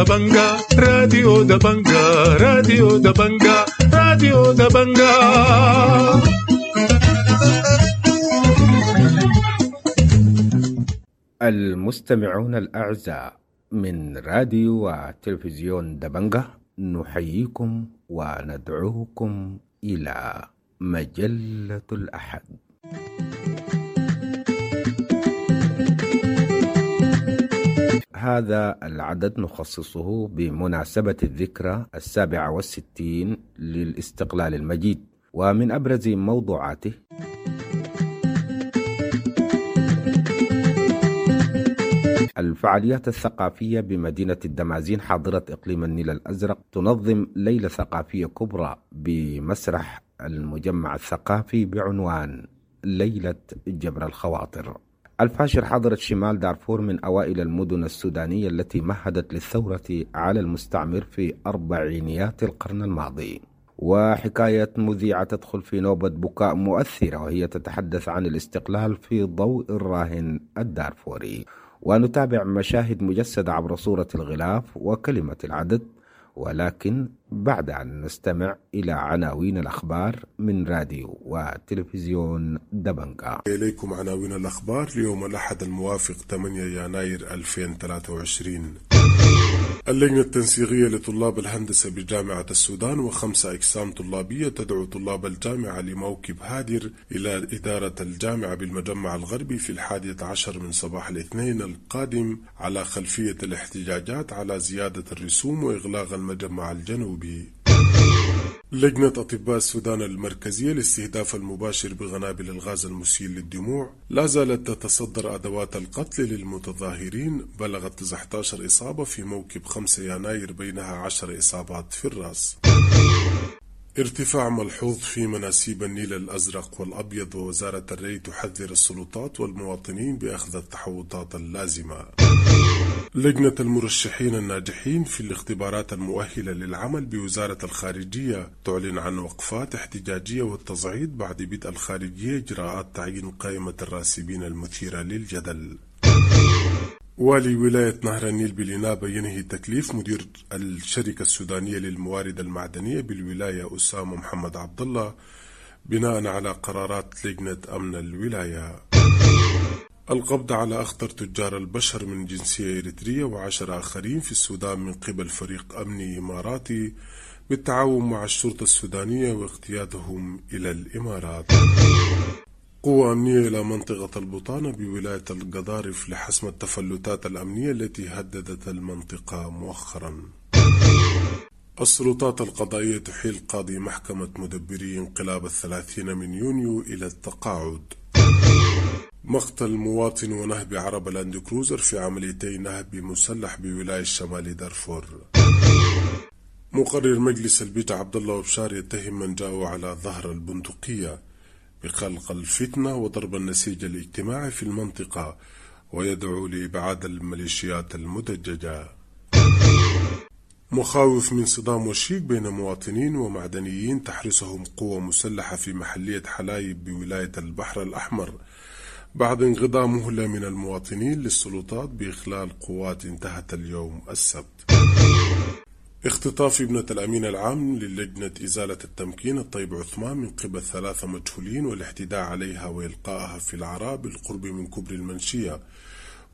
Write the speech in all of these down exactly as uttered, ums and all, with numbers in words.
دبنجا، راديو دبنجا، راديو دبنجا، راديو دبنجا. المستمعون الأعزاء من راديو وتلفزيون دبنجة، نحييكم وندعوكم إلى مجلة الأحد. هذا العدد نخصصه بمناسبة الذكرى السابعة والستين للاستقلال المجيد، ومن أبرز موضوعاته الفعاليات الثقافية بمدينة الدمازين حاضرة إقليم النيل الأزرق تنظم ليلة ثقافية كبرى بمسرح المجمع الثقافي بعنوان ليلة جبر الخواطر. الفاشر حاضرة شمال دارفور من أوائل المدن السودانية التي مهدت للثورة على المستعمر في أربعينيات القرن الماضي. وحكاية مذيعة تدخل في نوبة بكاء مؤثرة وهي تتحدث عن الاستقلال في ضوء الراهن الدارفوري. ونتابع مشاهد مجسدة عبر صورة الغلاف وكلمة العدد، ولكن بعد أن نستمع إلى عناوين الأخبار من راديو وتلفزيون دبنجا. إليكم عناوين الأخبار ليوم الأحد الموافق ثمانية يناير ألفين وثلاثة وعشرين. اللجنة التنسيقية لطلاب الهندسة بجامعة السودان وخمسة أقسام طلابية تدعو طلاب الجامعة لموكب هادر إلى إدارة الجامعة بالمجمع الغربي في الحادية عشر من صباح الاثنين القادم على خلفية الاحتجاجات على زيادة الرسوم وإغلاق المجمع الجنوبي. لجنة أطباء السودان المركزية للاستهداف المباشر بغنابل الغاز المسيل للدموع لا زالت تتصدر أدوات القتل للمتظاهرين، بلغت تسعة عشر إصابة في موكب خمسة يناير بينها عشر إصابات في الرأس. ارتفاع ملحوظ في مناسيب النيل الأزرق والأبيض، ووزارة الري تحذر السلطات والمواطنين بأخذ التحوطات اللازمة. لجنة المرشحين الناجحين في الاختبارات المؤهلة للعمل بوزارة الخارجية تعلن عن وقفات احتجاجية والتصعيد بعد بدء الخارجية إجراءات تعيين قائمة الراسبين المثيرة للجدل. والي ولاية نهر النيل بالإنابة ينهي تكليف مدير الشركة السودانية للموارد المعدنية بالولاية أسامة محمد عبد الله بناء على قرارات لجنة أمن الولاية. القبض على أخطر تجار البشر من جنسية إريترية وعشر آخرين في السودان من قبل فريق أمني إماراتي بالتعاون مع الشرطة السودانية واقتيادهم إلى الإمارات. قوة أمنية إلى منطقة البطانة بولاية القضارف لحسم التفلتات الأمنية التي هددت المنطقة مؤخرا. السلطات القضائية تحيل قاضي محكمة مدبري انقلاب الثلاثين من يونيو إلى التقاعد. مقتل مواطن ونهب عربة لاند كروزر في عمليتي نهب مسلح بولاية شمال دارفور. مقرر مجلس البيت عبد الله وبشار يتهم من جاءوا على ظهر البندقية بخلق الفتنة وضرب النسيج الاجتماعي في المنطقة، ويدعو لإبعاد الميليشيات المدججة. مخاوف من صدام وشيك بين مواطنين ومعدنيين تحرسهم قوة مسلحة في محلية حلايب بولاية البحر الأحمر بعد انقضاء مهلة من المواطنين للسلطات بإخلال قوات انتهت اليوم السبت. اختطاف ابنة الأمين العام للجنة إزالة التمكين الطيب عثمان من قبل ثلاثة مجهولين والاعتداء عليها وإلقائها في العراء بالقرب من كوبري المنشية،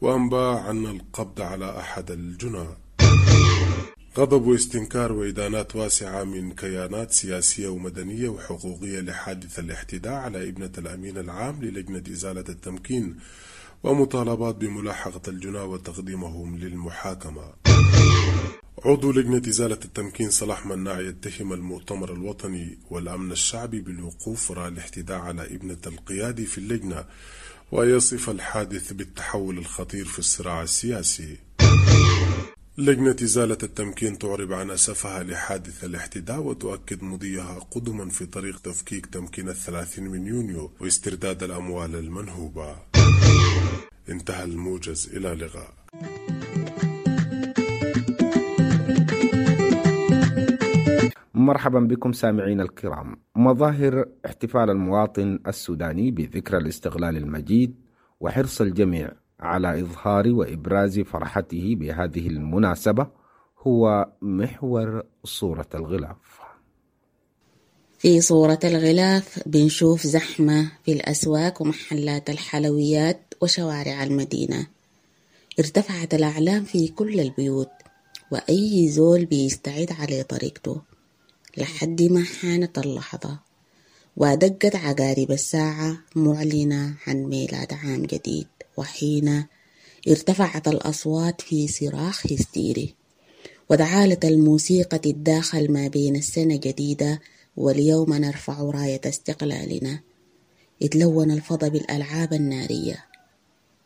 وأنباء عن القبض على أحد الجنى. غضب واستنكار وإدانات واسعة من كيانات سياسية ومدنية وحقوقية لحادث الاعتداء على ابنة الأمين العام للجنة إزالة التمكين، ومطالبات بملاحقة الجنى وتقديمهم للمحاكمة. عضو لجنة إزالة التمكين صلاح مناع يتهم المؤتمر الوطني والأمن الشعبي بالوقوف وراء الاعتداء على ابنة القيادي في اللجنة، ويصف الحادث بالتحول الخطير في الصراع السياسي. لجنة إزالة التمكين تعرب عن أسفها لحادث الاعتداء وتؤكد مضيها قدما في طريق تفكيك تمكين الثلاثين من يونيو واسترداد الأموال المنهوبة. انتهى الموجز، إلى اللقاء. مرحبا بكم سامعين الكرام. مظاهر احتفال المواطن السوداني بذكرى الاستقلال المجيد وحرص الجميع على إظهار وإبراز فرحته بهذه المناسبة هو محور صورة الغلاف. في صورة الغلاف بنشوف زحمة في الأسواق ومحلات الحلويات وشوارع المدينة. ارتفعت الأعلام في كل البيوت وأي زول بيستعد على طريقته لحد ما حانت اللحظة ودقت عقارب الساعة معلنة عن ميلاد عام جديد، وحين ارتفعت الأصوات في صراخ هستيري وتعالت الموسيقى تتداخل ما بين السنة الجديدة واليوم نرفع راية استقلالنا. اتلون الفضاء بالألعاب النارية.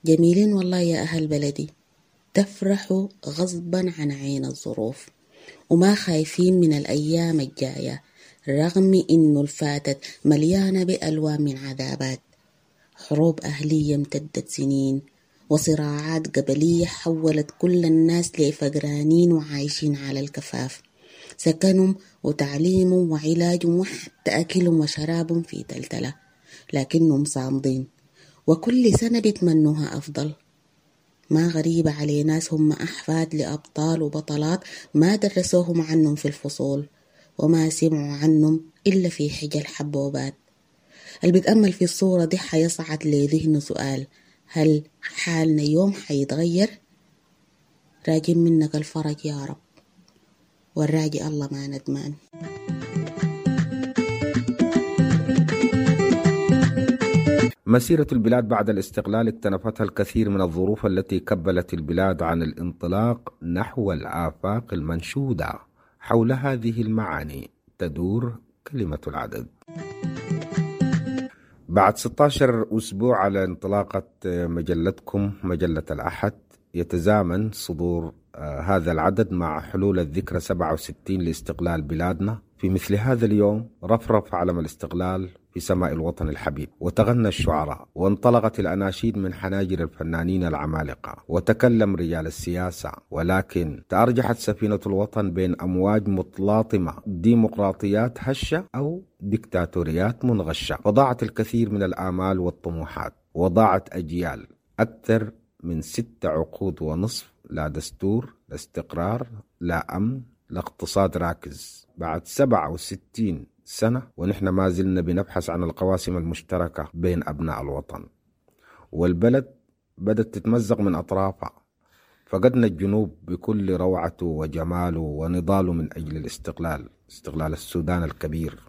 جميلين والله يا أهل بلدي، تفرحوا غصبا عن عين الظروف وما خايفين من الأيام الجاية، رغم إنه الفاتت مليانة بألوان من عذابات، حروب أهلية امتدت سنين وصراعات قبلية حولت كل الناس لفقرانين وعايشين على الكفاف، سكنهم وتعليمهم وعلاجهم وحتى أكلهم وشرابهم في تلتلة، لكنهم صامدين وكل سنة بيتمنوها أفضل. ما غريبة على ناس هم أحفاد لأبطال وبطلات ما درسوهم عنهم في الفصول وما سمعوا عنهم إلا في حجل حبوبات. اللي بيتأمل في الصورة دي حيصعد لذهنه سؤال: هل حالنا يوم حيتغير؟ راجين منك الفرج يا رب، والراجي الله ما ندمان. مسيرة البلاد بعد الاستقلال اكتنفتها الكثير من الظروف التي كبلت البلاد عن الانطلاق نحو الآفاق المنشودة. حول هذه المعاني تدور كلمة العدد. بعد ستة عشر أسبوع على انطلاقة مجلتكم مجلة الأحد، يتزامن صدور هذا العدد مع حلول الذكرى سبعة وستين لاستقلال بلادنا. في مثل هذا اليوم رفرف علم الاستقلال في سماء الوطن الحبيب، وتغنى الشعراء، وانطلقت الأناشيد من حناجر الفنانين العمالقة، وتكلم رجال السياسة. ولكن تأرجحت سفينة الوطن بين أمواج متلاطمة، ديمقراطيات هشة أو ديكتاتوريات منغشة، وضاعت الكثير من الآمال والطموحات، وضاعت أجيال أكثر من ست عقود ونصف، لا دستور، لا استقرار، لا أمن، لا اقتصاد راكز. بعد سبعة وستين سنة ونحن ما زلنا بنبحث عن القواسم المشتركة بين أبناء الوطن، والبلد بدأت تتمزق من أطرافها. فقدنا الجنوب بكل روعته وجماله ونضاله من أجل الاستقلال، استقلال السودان الكبير،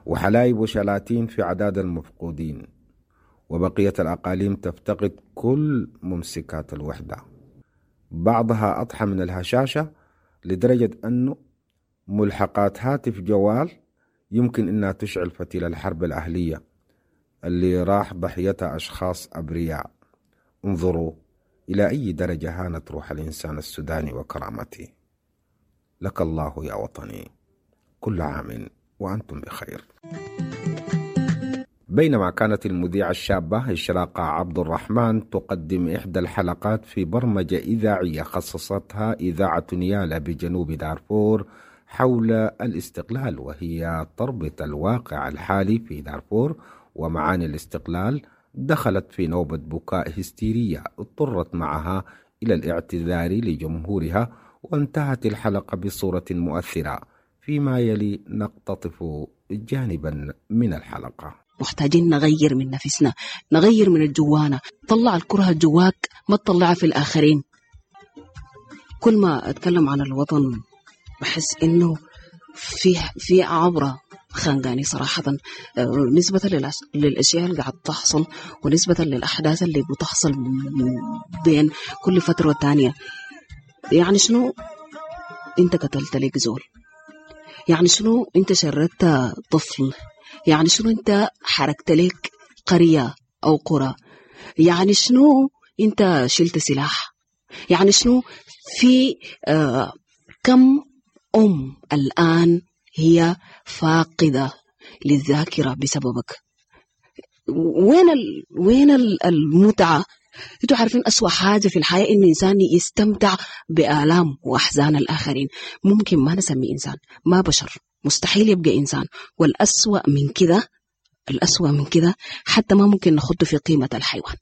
وحلايب وشلاتين في عداد المفقودين، وبقية الأقاليم تفتقد كل ممسكات الوحدة، بعضها أضحى من الهشاشة لدرجة أنه ملحقات هاتف جوال يمكن أنها تشعل فتيل الحرب الأهلية اللي راح ضحيتها أشخاص أبرياء. انظروا إلى أي درجة هانت روح الإنسان السوداني وكرامته. لك الله يا وطني، كل عام وأنتم بخير. بينما كانت المذيعة الشابة إشراقة عبد الرحمن تقدم إحدى الحلقات في برمجة إذاعية خصصتها إذاعة نيالا بجنوب دارفور حول الاستقلال، وهي تربط الواقع الحالي في دارفور ومعاني الاستقلال، دخلت في نوبة بكاء هستيرية اضطرت معها إلى الاعتذار لجمهورها، وانتهت الحلقة بصورة مؤثرة. فيما يلي نقتطف جانبا من الحلقة. محتاجين نغير من نفسنا، نغير من الجوانا. طلع الكره جواك، ما تطلعها في الآخرين. كل ما أتكلم عن الوطن بحس إنه في في عبرة خانقاني صراحة، نسبة للأشياء اللي قاعد تحصل ونسبة للأحداث اللي بتحصل بين كل فترة والتانية. يعني شنو أنت قتلت لك زول؟ يعني شنو أنت شردت طفل؟ يعني شنو أنت حركت لك قرية أو قرى؟ يعني شنو أنت شلت سلاح؟ يعني شنو في آه كم أم الآن هي فاقدة للذاكرة بسببك؟ وين ال... وين المتعة؟ انتوا عارفين أسوأ حاجة في الحياة إن إنسان يستمتع بآلام وأحزان الآخرين. ممكن ما نسمي إنسان، ما بشر، مستحيل يبقى إنسان. والأسوأ من كده، الأسوأ من كده حتى ما ممكن نخده في قيمة الحيوان.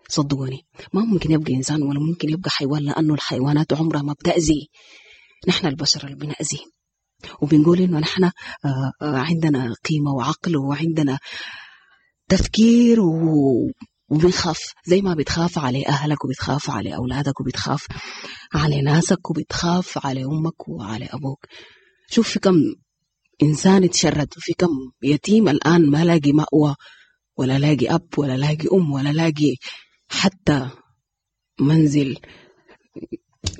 صدقوني ما ممكن يبقى إنسان ولا ممكن يبقى حيوان، لأنه الحيوانات عمرها ما بتأذي، نحن البشر اللي بنأذي. وبنقول إنه نحن عندنا قيمة وعقل وعندنا تفكير و... وبنخاف زي ما بتخاف على أهلك وبتخاف على أولادك وبتخاف على ناسك وبتخاف على أمك وعلى أبوك. شوف في كم إنسان اتشرد، وفي كم يتيم الآن ما لاقي مأوى ولا لاقي أب ولا لاقي أم ولا لاقي حتى منزل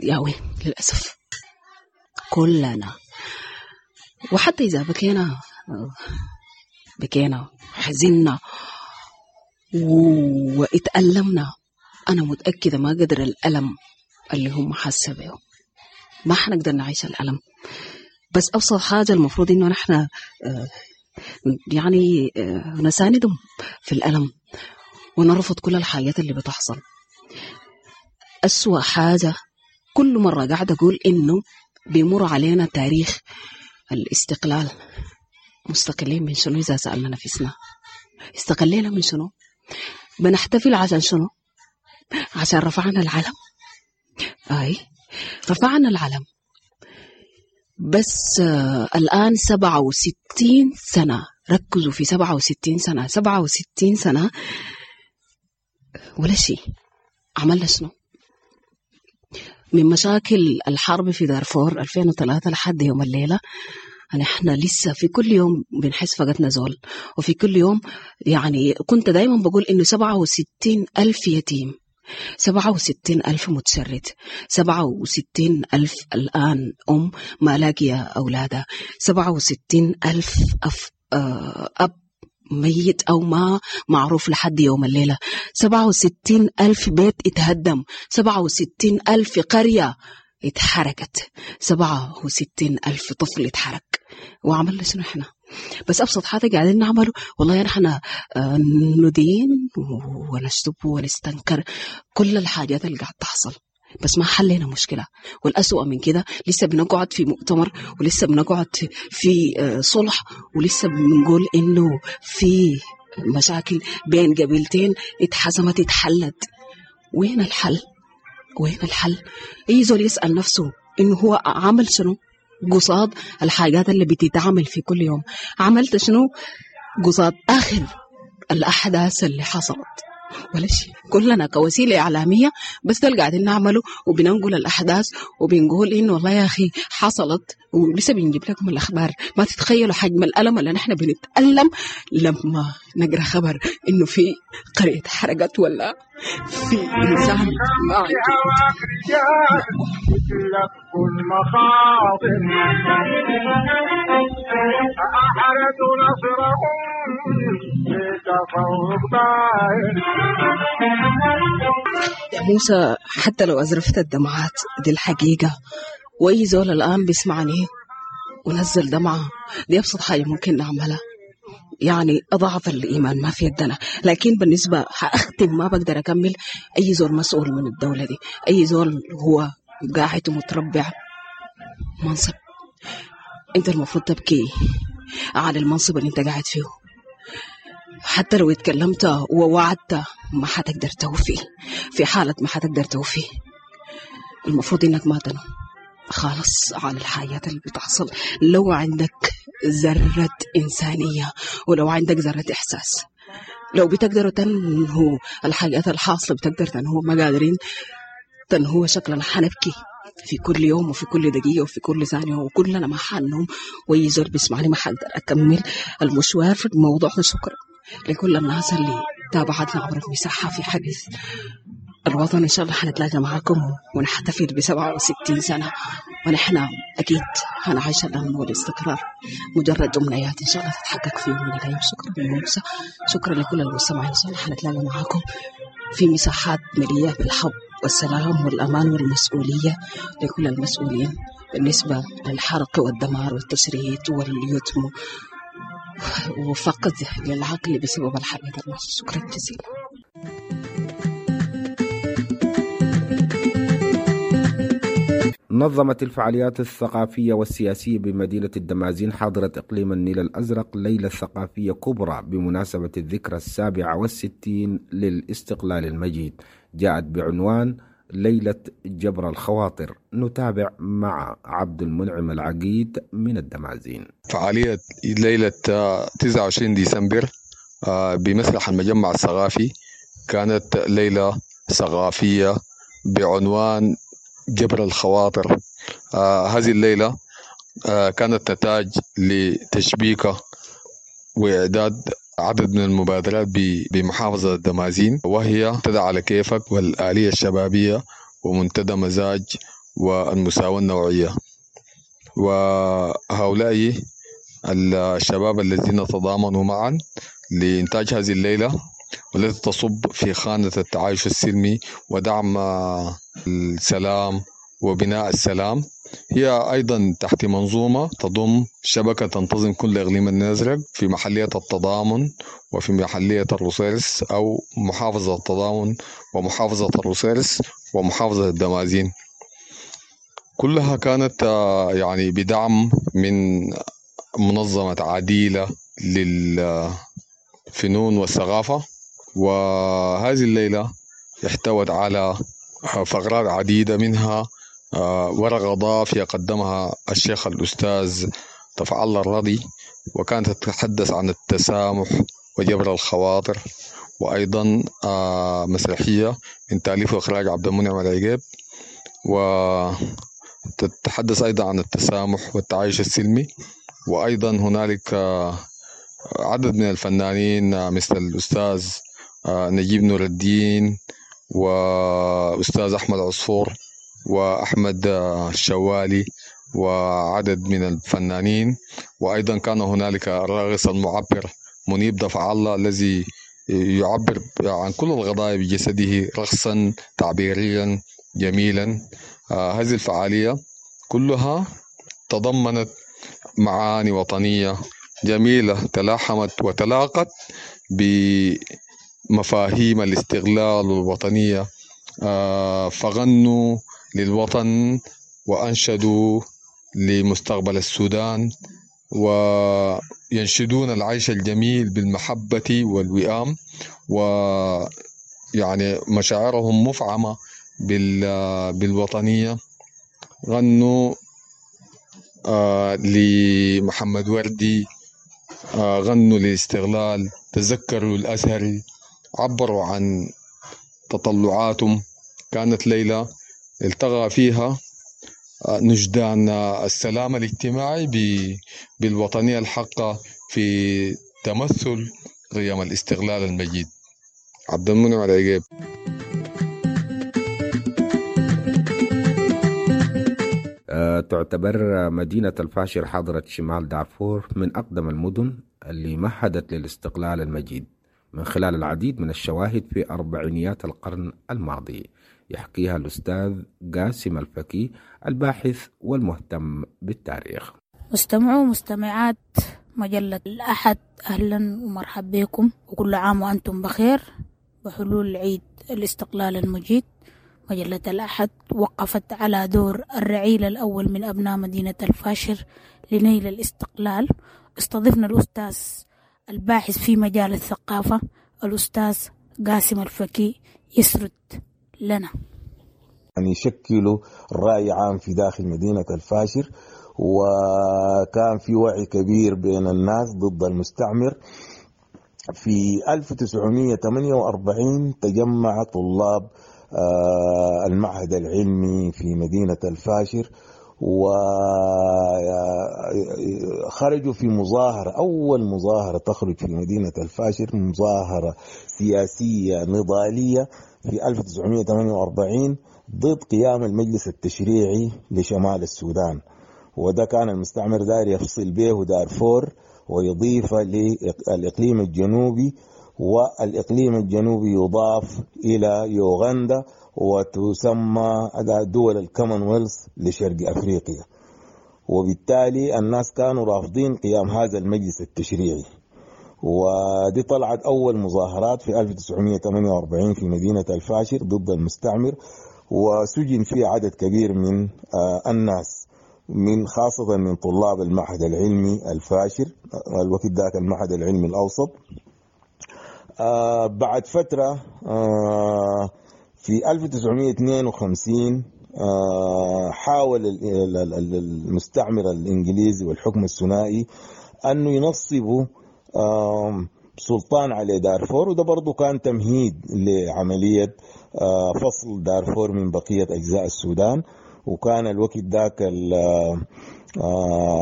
ياوي للأسف كلنا. وحتى إذا بكينا بكينا حزنا واتألمنا، أنا متأكدة ما قدر الألم اللي هم حاسة به، ما حنقدر نعيش الألم. بس أبسط حاجة المفروض إنه نحن يعني نساندهم في الألم ونرفض كل الحاجات اللي بتحصل. أسوأ حاجة كل مرة قاعدة أقول إنه بيمر علينا تاريخ الاستقلال، مستقلين من شنو؟ إذا سألنا نفسنا استقلينا من شنو؟ بنحتفل عشان شنو؟ عشان رفعنا العلم. أي رفعنا العلم، بس آه الآن سبعة وستين سنة، ركزوا في سبعة وستين سنة، سبعة وستين سنة ولا شيء. عملنا شنو؟ من مشاكل الحرب في دارفور ألفين وثلاثة لحد يوم الليلة نحن لسه في كل يوم بنحس فقدنا زول، وفي كل يوم يعني كنت دايما بقول إنه سبعة وستين ألف يتيم، سبعة وستين ألف متشرد، سبعة وستين ألف الآن أم ما لاقية أولادها، سبعة وستين ألف أف أب ميت أو ما معروف لحد يوم الليلة، سبعة وستين ألف بيت اتهدم، سبعة وستين ألف قرية اتحركت، سبعة وستين ألف طفل اتحرك. وعملنا شنو احنا؟ بس أبسط حاجة قاعدين نعمله والله نحن ندين ونشتب ونستنكر كل الحاجات اللي قاعد تحصل، بس ما حلينا مشكلة. والأسوأ من كده لسه بنقعد في مؤتمر، ولسه بنقعد في صلح، ولسه بنقول إنه في مشاكل بين قبيلتين اتحسمت اتحلت. وين الحل؟ وين الحل؟ أي زول يسأل نفسه إنه هو عمل شنو قصاد الحاجات اللي بتتعمل في كل يوم؟ عملت شنو قصاد آخر الأحداث اللي حصلت؟ ولا شيء. كلنا كوسيلة إعلامية بس ده اللي قاعدين نعمله، وبننقل الأحداث وبنقول إنه والله يا أخي حصلت، ولسه بنجيب لكم الأخبار. ما تتخيلوا حجم الألم اللي نحن بنتألم لما نقرأ خبر إنه في قرية حرقت ولا في إنسان ما عنده. يا موسى حتى لو أزرفت الدمعات دي الحقيقة، وأي زول الآن بيسمعني ونزل دمعة دي أبسط حاجة ممكن نعملها، يعني أضعف الإيمان ما في يدنا. لكن بالنسبة حأختم ما بقدر أكمل. أي زول مسؤول من الدولة دي، أي زول هو قاعد ومتربع منصب، أنت المفروض تبكي على المنصب اللي أنت قاعد فيه. حتى لو اتكلمت ووعدت ما حتقدر توفي، في حالة ما حتقدر توفي. المفروض إنك ما تنام خالص على الحياة اللي بتحصل. لو عندك ذرة إنسانية ولو عندك ذرة إحساس، لو بتقدروا تنهوا الحاجات الحاصلة بتقدر تنهوا، ما قادرين تنهوا شكلنا حنبكي في كل يوم وفي كل دقيقة وفي كل ثانية، وكلنا ما حنوم. ويزور بيسمعني ما حقدر أكمل المشوار في الموضوع ده. شكرا لكل الناس اللي تابعتنا عبر المساحة في حديث الوطن. إن شاء الله حنتلاقى معاكم ونحتفل بسبعة وستين سنة، ونحن أكيد هنعيش الأمن والاستقرار، مجرد أمنيات إن شاء الله تتحقق في يوم من الأيام. شكرا لموسى، شكرا لكل المستمعين. إن شاء الله حنتلاقى معاكم في مساحات مليئة بالحب والسلام والأمان والمسؤولية لكل المسؤولين بالنسبة للحرق والدمار والتشريد واليتم وفقد للعقل بسبب الحرب. شكرا جزيلا. نظمت الفعاليات الثقافية والسياسية بمدينة الدمازين حاضرة إقليم النيل الأزرق ليلة ثقافية كبرى بمناسبة الذكرى السابعة والستين للاستقلال المجيد، جاءت بعنوان ليلة جبر الخواطر. نتابع مع عبد المنعم العقيد من الدمازين. فعالية ليلة تسعة وعشرين ديسمبر بمسرح المجمع الثقافي كانت ليلة ثقافية بعنوان جبر الخواطر. آه هذه الليلة آه كانت نتاج لتشبيكة وإعداد عدد من المبادرات بمحافظة الدمازين، وهي منتدى على كيفك والآلية الشبابية ومنتدى مزاج والمساواة النوعية. وهؤلاء الشباب الذين تضامنوا معا لإنتاج هذه الليلة والتي تصب في خانة التعايش السلمي ودعم السلام وبناء السلام، هي أيضا تحت منظومة تضم شبكة تنتظم كل إقليم الأزرق في محلية التضامن وفي محلية الروسيرس أو محافظة التضامن ومحافظة الروسيرس ومحافظة الدمازين. كلها كانت يعني بدعم من منظمة عديلة للفنون والثقافة. وهذه الليلة احتوت على فقرات عديدة، منها ورقة ضافية قدمها الشيخ الأستاذ دفع الله الرضي، وكانت تتحدث عن التسامح وجبر الخواطر، وأيضا مسرحية من تأليف وإخراج عبد المنعم العقيب، وتتحدث أيضا عن التسامح والتعايش السلمي. وأيضا هنالك عدد من الفنانين مثل الأستاذ نجيب نور الدين وأستاذ أحمد عصفور وأحمد الشوالي وعدد من الفنانين. وأيضا كان هنالك الراقص المعبر منيب دفع الله الذي يعبر عن كل القضايا بجسده رقصا تعبيريا جميلا. هذه الفعالية كلها تضمنت معاني وطنية جميلة تلاحمت وتلاقت بمفاهيم الاستقلال والوطنية، فغنوا للوطن وأنشدوا لمستقبل السودان، وينشدون العيش الجميل بالمحبة والوئام، ويعني مشاعرهم مفعمة بالوطنية. غنوا آه لمحمد وردي، آه غنوا للاستغلال، تذكروا الأزهري، عبروا عن تطلعاتهم. كانت ليلة التقى فيها نجدان السلام الاجتماعي بالوطنية الحقة في تمثل قيم الاستغلال المجيد. عبد المنعم العقيب. تعتبر مدينة الفاشر حاضرة شمال دارفور من أقدم المدن اللي مهدت للاستقلال المجيد من خلال العديد من الشواهد في أربعينيات القرن الماضي، يحكيها الأستاذ قاسم الفكي الباحث والمهتم بالتاريخ. مستمعو ومستمعات مجلة الأحد، أهلا ومرحبا بكم، وكل عام وأنتم بخير بحلول عيد الاستقلال المجيد. مجلة الأحد وقفت على دور الرعيل الأول من أبناء مدينة الفاشر لنيل الاستقلال. استضفنا الأستاذ الباحث في مجال الثقافة الأستاذ قاسم الفكي يسرد لنا. يعني يشكلوا رأي عام في داخل مدينة الفاشر، وكان في وعي كبير بين الناس ضد المستعمر. في ألف وتسعمائة وثمانية وأربعين تجمع طلاب المعهد العلمي في مدينة الفاشر وخرجوا في مظاهرة، أول مظاهرة تخرج في مدينة الفاشر، مظاهرة سياسية نضالية في ألف وتسعمائة وثمانية وأربعين ضد قيام المجلس التشريعي لشمال السودان. وده كان المستعمر داير يفصل به دارفور ويضيف للإقليم الجنوبي، والإقليم الجنوبي يضاف إلى يوغندا وتسمى دول الكومنولث لشرق أفريقيا. وبالتالي الناس كانوا رافضين قيام هذا المجلس التشريعي، ودي طلعت أول مظاهرات في ألف وتسعمائة وثمانية وأربعين في مدينة الفاشر ضد المستعمر. وسجن فيها عدد كبير من الناس، من خاصة من طلاب المعهد العلمي الفاشر، الوقت ذاك المعهد العلمي الأوسط. بعد فترة في ألف وتسعمائة واثنين وخمسين حاول المستعمر الإنجليزي والحكم الثنائي أنه ينصبوا سلطان على دارفور، وده برضو كان تمهيد لعملية فصل دارفور من بقية أجزاء السودان. وكان الوقت ذاك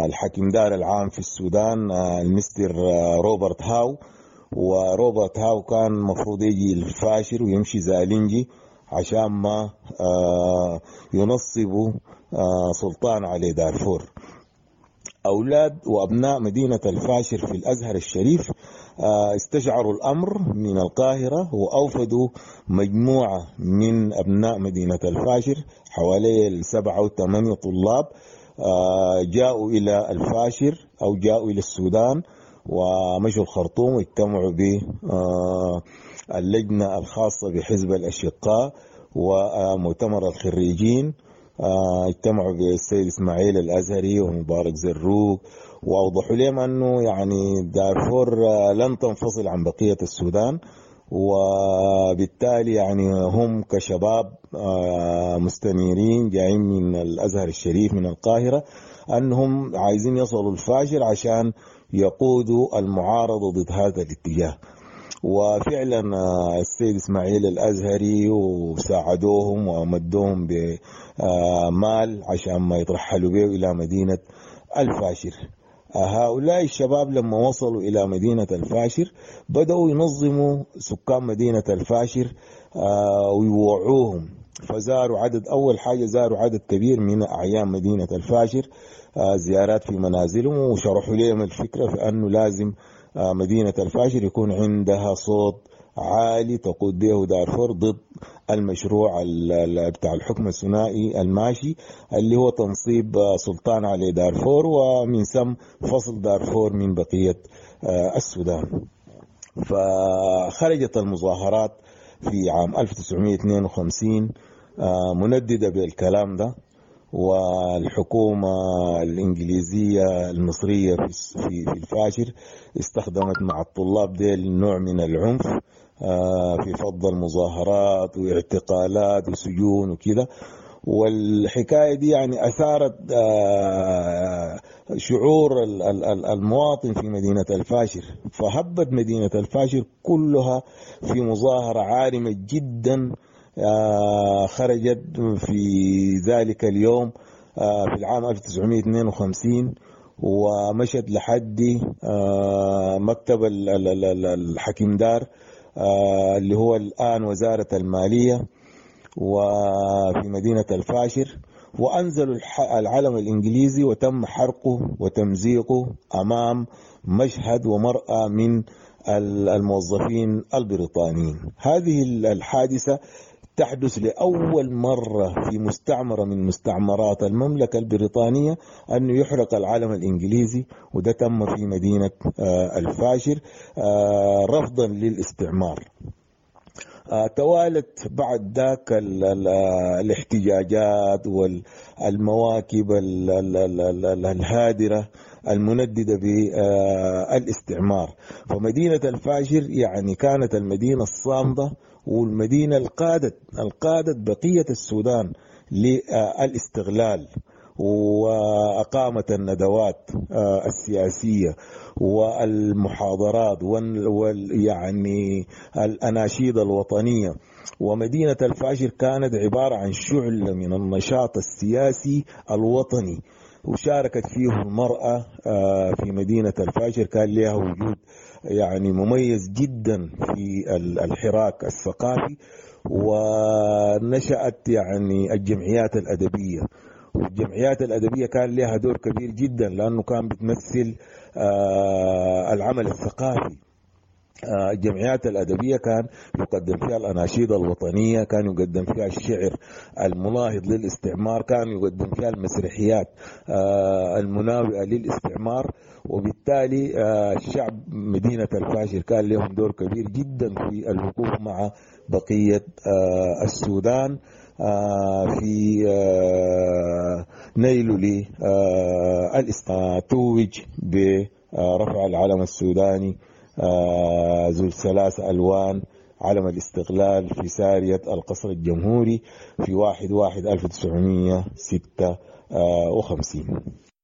الحاكم دار العام في السودان المستر روبرت هاو، وروبرت هاو كان مفروض يجي الفاشر ويمشي زالنجي عشان ما ينصبوا سلطان على دارفور. أولاد وأبناء مدينة الفاشر في الأزهر الشريف استشعروا الأمر من القاهرة وأوفدوا مجموعة من أبناء مدينة الفاشر حوالي السبعة وثمانية طلاب، جاءوا إلى الفاشر أو جاءوا إلى السودان ومشوا الخرطوم واجتمعوا باللجنة الخاصة بحزب الأشقاء ومؤتمر الخريجين، اجتمعوا بالسيد إسماعيل الأزهري ومبارك زروق، وأوضحوا لهم أنه يعني دارفور لن تنفصل عن بقية السودان، وبالتالي يعني هم كشباب مستنيرين جايين من الأزهر الشريف من القاهرة أنهم عايزين يصلوا الفاشر عشان يقودوا المعارضة ضد هذا الاتجاه. وفعلا السيد إسماعيل الأزهري وساعدوهم ومدوهم بمال عشان ما يترحلوا به إلى مدينة الفاشر. هؤلاء الشباب لما وصلوا إلى مدينة الفاشر بدأوا ينظموا سكان مدينة الفاشر ويوعوهم، فزاروا عدد، أول حاجة زاروا عدد كبير من أعيان مدينة الفاشر، زيارات في منازلهم، وشرحوا لهم الفكرة في أنه لازم مدينة الفاشر يكون عندها صوت عالي تقود به دارفور ضد المشروع بتاع الحكم الثنائي الماشي اللي هو تنصيب سلطان على دارفور ومن ثم فصل دارفور من بقية السودان. فخرجت المظاهرات في عام ألف وتسعمائة واثنين وخمسين منددة بالكلام ده، والحكومة الإنجليزية المصرية في في الفاشر استخدمت مع الطلاب ديل نوع من العنف في فض المظاهرات واعتقالات وسجون وكده. والحكاية دي يعني أثارت شعور المواطن في مدينة الفاشر، فهبت مدينة الفاشر كلها في مظاهرة عارمة جدا خرجت في ذلك اليوم في العام ألف وتسعمائة واثنين وخمسين ومشت لحد مكتب الحكيم دار اللي هو الآن وزارة المالية وفي مدينة الفاشر، وأنزلوا العلم الإنجليزي وتم حرقه وتمزيقه أمام مشهد ومرأة من الموظفين البريطانيين. هذه الحادثة تحدث لأول مرة في مستعمرة من مستعمرات المملكة البريطانية أنه يحرق العلم الإنجليزي، وده تم في مدينة الفاشر رفضا للاستعمار. توالت بعد ذاك الاحتجاجات والمواكب الهادرة المنددة بالاستعمار. فمدينة الفاشر يعني كانت المدينة الصامدة والمدينة القادت القادت بقية السودان للاستغلال، وأقامت الندوات السياسية والمحاضرات وال يعني الأناشيد الوطنية. ومدينة الفاشر كانت عبارة عن شعلة من النشاط السياسي الوطني، وشاركت فيه المرأة في مدينة الفاشر، كان لها وجود يعني مميز جدا في الحراك الثقافي. ونشأت يعني الجمعيات الأدبية، والجمعيات الأدبية كان لها دور كبير جدا لأنه كان بتمثل العمل الثقافي. الجمعيات الأدبية كان يقدم فيها الأناشيد الوطنية، كان يقدم فيها الشعر المناهض للاستعمار، كان يقدم فيها المسرحيات المناوئة للاستعمار. وبالتالي الشعب مدينة الفاشر كان لهم دور كبير جدا في الوقوف مع بقية السودان في نيل للاستقلال. توج برفع العلم السوداني ذو الثلاث ألوان، علم الاستقلال، في سارية القصر الجمهوري في واحد واحد ألف تسعمية ستة وخمسين.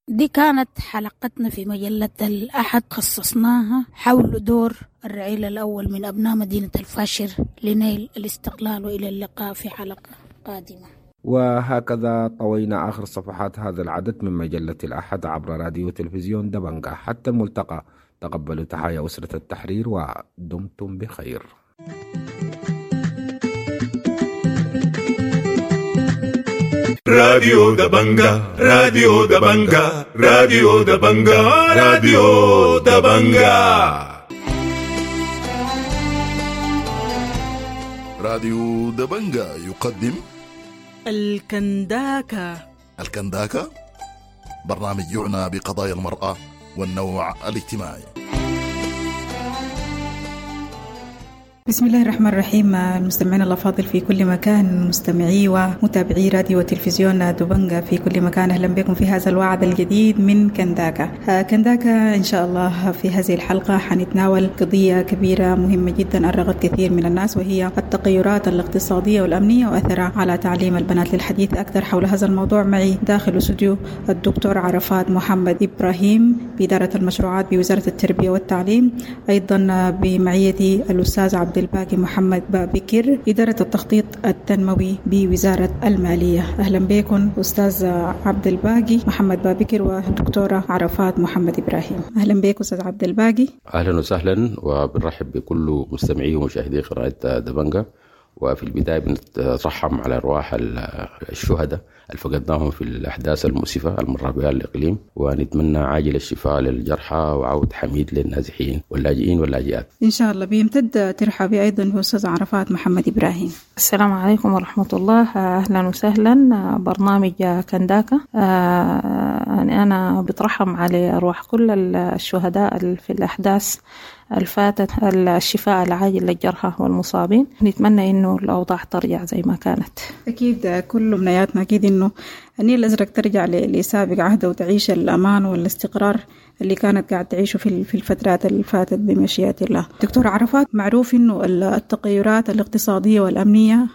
دي كانت حلقتنا في مجلة الأحد، خصصناها حول دور الرعيل الأول من أبناء مدينة الفاشر لنيل الاستقلال، وإلى اللقاء في حلقة قادمة. وهكذا طوينا آخر صفحات هذا العدد من مجلة الأحد عبر راديو تلفزيون دبنجا. حتى الملتقى، تقبلوا تحايا أسرة التحرير ودمتم بخير. راديو دبنجا، راديو دبنجا، راديو دبنجا، راديو دبنجا. راديو دبنجا يقدم الكنداكا. الكنداكا برنامج يعنى بقضايا المرأة والنوع الاجتماعي. بسم الله الرحمن الرحيم. المستمعين الأفاضل في كل مكان، مستمعي ومتابعي راديو وتلفزيون دبنجا في كل مكان، أهلا بكم في هذا الوعد الجديد من كنداكا. كنداكا إن شاء الله في هذه الحلقة حنتناول قضية كبيرة مهمة جدا أرقت كثير من الناس، وهي التغيرات الاقتصادية والأمنية وأثرها على تعليم البنات. للحديث أكثر حول هذا الموضوع معي داخل استوديو الدكتور عرفات محمد إبراهيم بإدارة المشروعات بوزارة التربية والتعليم، أيضا بمعيتي الأستاذ عبد الباقي محمد بابكر إدارة التخطيط التنموي بوزارة المالية. أهلا بكم أستاذ عبد الباقي محمد بابكر ودكتورة عرفات محمد إبراهيم. أهلا بك أستاذ عبد الباقي. أهلا وسهلا، وبنرحب بكل مستمعي ومشاهدي قناة دبنجا. وفي البداية بنترحم على أرواح الشهداء اللي فقدناهم في الأحداث المؤسفة المرة بها الإقليم، ونتمنى عاجل الشفاء للجرحى وعود حميد للنازحين واللاجئين واللاجئات إن شاء الله. بيمتد ترحبي أيضا بأستاذ عرفات محمد إبراهيم. السلام عليكم ورحمة الله، أهلا وسهلا. برنامج كنداكا، أنا بترحم على أرواح كل الشهداء في الأحداث الفاتت، الشفاء العاجل للجرحى والمصابين. نتمنى إنه الأوضاع ترجع زي ما كانت. أكيد كل أمنياتنا أكيد إنه النيل الأزرق ترجع لسابق عهده وتعيش الأمان والاستقرار اللي كانت قاعد تعيشه في في الفترات اللي فاتت بمشيئة الله. دكتور عرفات، معروف إنه التغيرات الاقتصادية والأمنية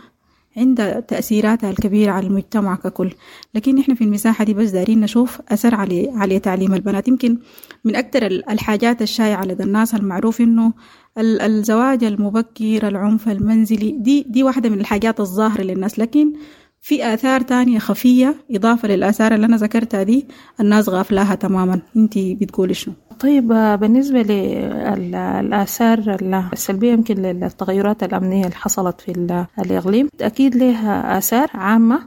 عندها تأثيراتها الكبيرة على المجتمع ككل، لكن إحنا في المساحة دي بس دارين نشوف أثر على على تعليم البنات. يمكن من أكثر الحاجات الشائعة لدى الناس المعروف إنه الزواج المبكر، العنف المنزلي، دي دي واحدة من الحاجات الظاهرة للناس، لكن في آثار تانية خفية إضافة للآثار اللي أنا ذكرتها دي الناس غافلاها تماما. أنت بتقولي شنو؟ طيب، بالنسبة للآثار السلبية يمكن للتغيرات الأمنية اللي حصلت في الإقليم، أكيد لها آثار عامة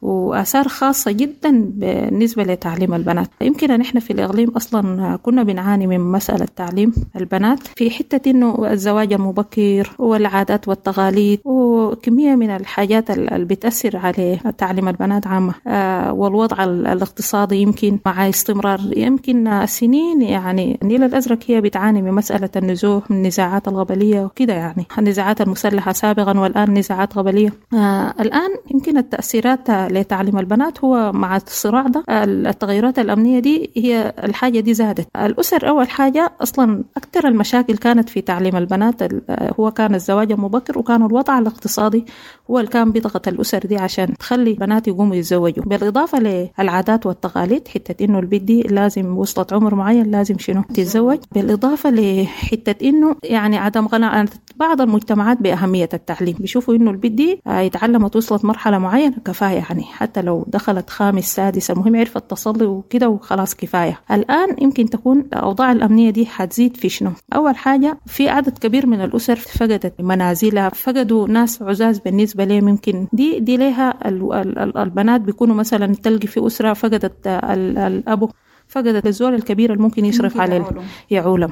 وآثار خاصة جدا بالنسبة لتعليم البنات. يمكن أن إحنا في الإقليم أصلا كنا بنعاني من مسألة تعليم البنات في حتة إنه الزواج المبكر والعادات والتقاليد وكمية من الحاجات اللي بتأثر على تعليم البنات عامة، والوضع الاقتصادي يمكن مع استمرار يمكن سنين. يعني النيل الأزرق هي بتعاني من مسألة النزوح، من النزاعات القبلية وكده، يعني النزاعات المسلحة سابقا والآن نزاعات قبلية. الآن يمكن التأثيرات لتعليم البنات هو مع الصراع ده، التغيرات الأمنية دي هي الحاجة دي زادت. الأسر أول حاجة أصلا أكثر المشاكل كانت في تعليم البنات هو كان الزواج المبكر، وكان الوضع الاقتصادي هو اللي كان بيضغط الأسر دي عشان تخلي بنات يقوموا يتزوجوا. بالإضافة للعادات والتقاليد، حتة إنه البنت دي لازم وصلت عمر معين لازم شنو تتزوج. بالإضافة لحتة إنه يعني عدم قناعة بعض المجتمعات بأهمية التعليم، بيشوفوا إنه البنت دي اتعلمت وصلت مرحلة معينة كفاية، يعني حتى لو دخلت خامس سادس المهم عرفت تصلي وكده وخلاص كفاية. الآن يمكن تكون الأوضاع الأمنية دي حتزيد في شنو؟ أول حاجة في عدد كبير من الأسر فقدت منازلها، فقدوا ناس عزاز بالنسبة لهم. يمكن دي دي لها البنات بيكونوا مثلا تلقي في أسرة فقدت الأب، فقدت الزول الكبير اللي ممكن يشرف عليه يعولم.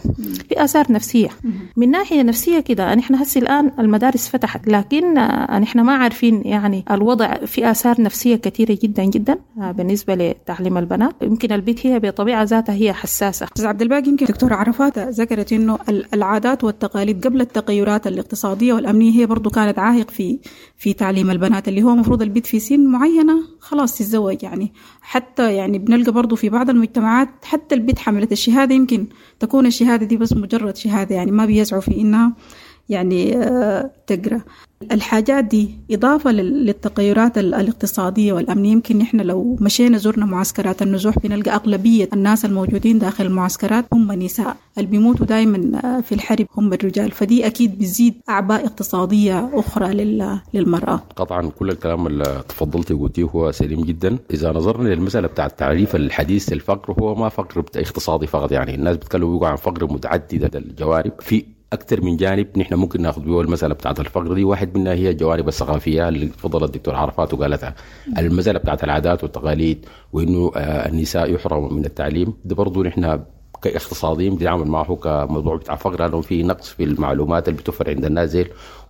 في آثار نفسية. من ناحية نفسية كده نحن هسي الآن المدارس فتحت، لكن نحن ما عارفين يعني الوضع، في آثار نفسية كثيرة جدا جدا بالنسبة لتعليم البنات. يمكن البيت هي بطبيعة ذاتها هي حساسة. أستاذ عبد الباقي، يمكن دكتورة عرفات ذكرت إنه العادات والتقاليد قبل التغيرات الاقتصادية والأمنية هي برضو كانت عائق في في تعليم البنات، اللي هو مفروض البيت في سن معينة خلاص تتزوج يعني. حتى يعني بنلقى برضو في بعض المجتمعات حتى البيت حملت الشهادة يمكن تكون الشهادة دي بس مجرد شهادة، يعني ما بيسعوا في إنها يعني تقرأ. الحاجات دي إضافة للتغيرات الاقتصادية والأمنية. يمكن نحن لو مشينا زرنا معسكرات النزوح بنلقى أغلبية الناس الموجودين داخل المعسكرات هم نساء، اللي بيموتوا دايما في الحرب هم الرجال، فدي أكيد بتزيد أعباء اقتصادية أخرى للمرأة. قطعا كل الكلام اللي تفضلتي وقلتيه هو سليم جدا. إذا نظرنا للمسألة بتاع التعريف الحديث للفقر، هو ما فقر اقتصادي فقط، يعني الناس بيتكلموا عن فقر متعدد الجوانب في أكثر من جانب نحن ممكن ناخذ به المسألة بتاعت الفقر دي. واحد منها هي الجوانب الثقافية اللي تفضل الدكتور عرفات وقالتها، المسألة بتاعت العادات والتقاليد وإنه النساء يحرموا من التعليم، ده برضو نحن كاقتصاديين بنتعامل معه كموضوع بتاع فقر، لأنه في نقص في المعلومات اللي بتوفر عند الناس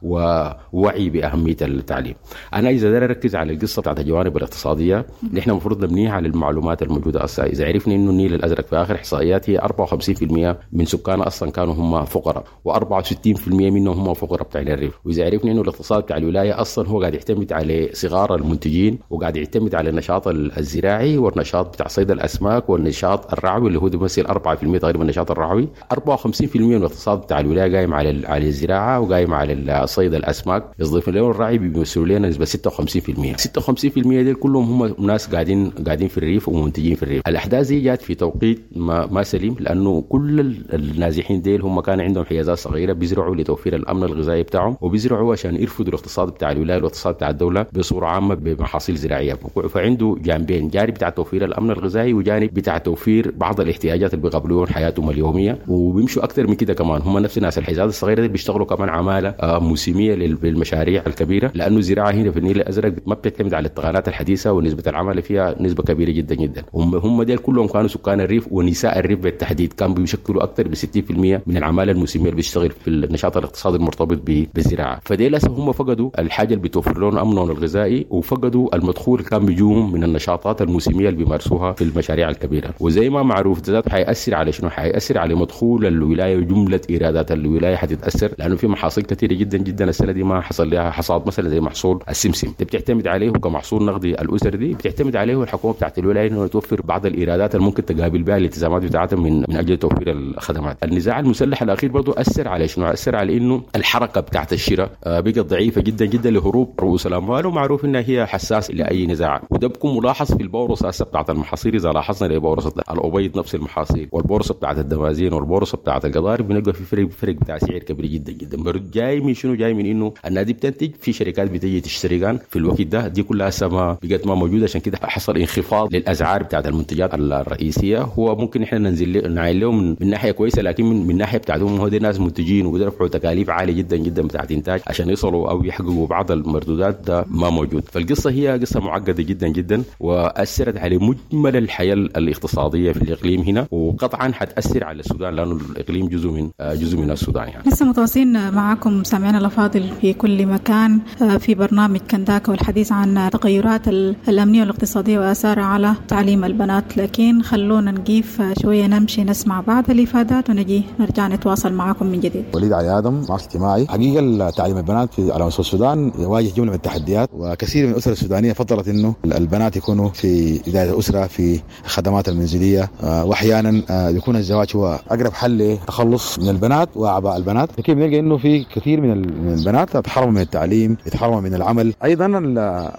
ووعي بأهمية التعليم. أنا إذا دار أركز على القصة بتاعت الجوانب الاقتصادية اللي إحنا المفروض نبنيها على المعلومات الموجودة أصلا. إذا عرفنا إنه النيل الأزرق في آخر إحصائيات هي أربعة وخمسين بالمئة من سكانه أصلا كانوا هم فقراء، وأربعة وستين بالمئة منهم هم فقراء بتاع الريف. وإذا عرفنا إنه الاقتصاد بتاع الولاية أصلا هو قاعد يعتمد على صغار المنتجين، وقاعد يعتمد على النشاط الزراعي والنشاط بتاع صيد الأسماك والنشاط الرعوي اللي هو بيمثل أربعة بالمئة تقريبا النشاط الرعوي. أربعة وخمسين بالمئة من الاقتصاد بتاع الولاية قايم على على الزراعة وقايم على صيد الاسماك. يضيف لهم الرعي بيمثلوا لنا نسبه ستة وخمسين بالمئة. ستة وخمسين بالمئة دي كلهم هم ناس قاعدين قاعدين في الريف ومنتجين في الريف. الاحداث دي جات في توقيت ما, ما سليم، لانه كل النازحين ديل هم كان عندهم حيازات صغيرة بيزرعوا لتوفير الامن الغذائي بتاعهم، وبيزرعوا عشان يرفضوا الاقتصاد بتاع الولاية والاقتصاد بتاع الدولة بصورة عامة بمحاصيل زراعية. فعنده جانبين، جانب بتاع توفير الامن الغذائي وجانب بتاع توفير بعض الاحتياجات اللي بيقابلوهم حياتهم اليومية. وبيمشوا اكثر من كده كمان، هم نفس الناس الحيازات الصغيرة دي بيشتغلوا كمان عماله موسميه للمشاريع الكبيرة، لانه الزراعة هنا في النيل الازرق ما بتعتمد على التقنيات الحديثة ونسبه العمل فيها نسبه كبيرة جدا جدا. هم هم ديل كلهم كانوا سكان الريف ونساء الريف بالتحديد كانوا بيشكلوا اكثر من ستين بالمئة من العمالة الموسمية اللي بيشتغل في النشاط الاقتصادي المرتبط بالزراعة. فديل هم فقدوا الحاجة اللي بتوفر لهم امنهم الغذائي، وفقدوا المدخول اللي كان بيجوهم من النشاطات الموسمية اللي بيمارسوها في المشاريع الكبيرة. وزي ما معروف ذات حيأثر على شنو؟ حيأثر على مدخول الولاية وجملة ايرادات الولاية حتتاثر، لانه في محاصيل كثيرة جدا جدا السنة دي ما حصل لها حصاد، مثلا زي محصول السمسم دي بتعتمد عليه كمحصول نقدي الاسر دي بتعتمد عليه الحكومة بتاعت الولاية انه توفر بعض الايرادات اللي ممكن تقابل بها الالتزامات بتاعتها من من اجل توفير الخدمات. النزاع المسلح الاخير برضه اثر على شنو؟ اثر على انه الحركة بتاعت الشراء بقت ضعيفة جدا جدا لهروب رؤوس الاموال، ومعروف انها هي حساس لاي نزاع، وده بيكون ملاحظ في البورصة بتاعت المحاصيل. اذا لاحظنا لبورصه الابيض نفس المحاصيل والبورصة بتاعت الدمازين والبورصة بتاعت القضارف بنلقى في فرق فرق بتاع سعر كبير جدا جدا. جاي من شنو؟ جاي من انه النادي بتنتج في شركات بتيجي تشتري كان في الوقت ده، دي كلها سما بقت ما موجودة، عشان كده حصل انخفاض للاسعار بتاعت المنتجات الرئيسية. هو ممكن احنا ننزل نعين لهم من ناحية كويسة، لكن من, من ناحية بتاعتهم هو دي ناس منتجين وبيرفعوا تكاليف عالية جدا جدا بتاعت انتاج عشان يصلوا او يحققوا بعض المردودات، ده ما موجود. فالقصة هي قصة معقدة جدا جدا واثرت على مجمل الحياة الاقتصادية في الاقليم هنا، وقطعا حتاثر على السودان لانه الاقليم جزء من جزء من السودان. يعني لسه متواصلين معكم سامعينا الافاضل في كل مكان في برنامج كنداكا والحديث عن التغيرات الامنية والاقتصادية واثارها على تعليم البنات، لكن خلونا نقيف شوية نمشي نسمع بعض الافادات ونجي نرجع نتواصل معكم من جديد. وليد علي ادم، معاش اجتماعي. حقيقة تعليم البنات في على مستوى السودان يواجه جملة من التحديات، وكثير من الاسر السودانية فضلت انه البنات يكونوا في ادارة الاسرة في الخدمات المنزلية، واحيانا يكون الزواج هو اقرب حل للتخلص من البنات واعباء البنات. لكن بنلقى انه في كثير من البنات يتحرموا من التعليم، يتحرموا من العمل. ايضا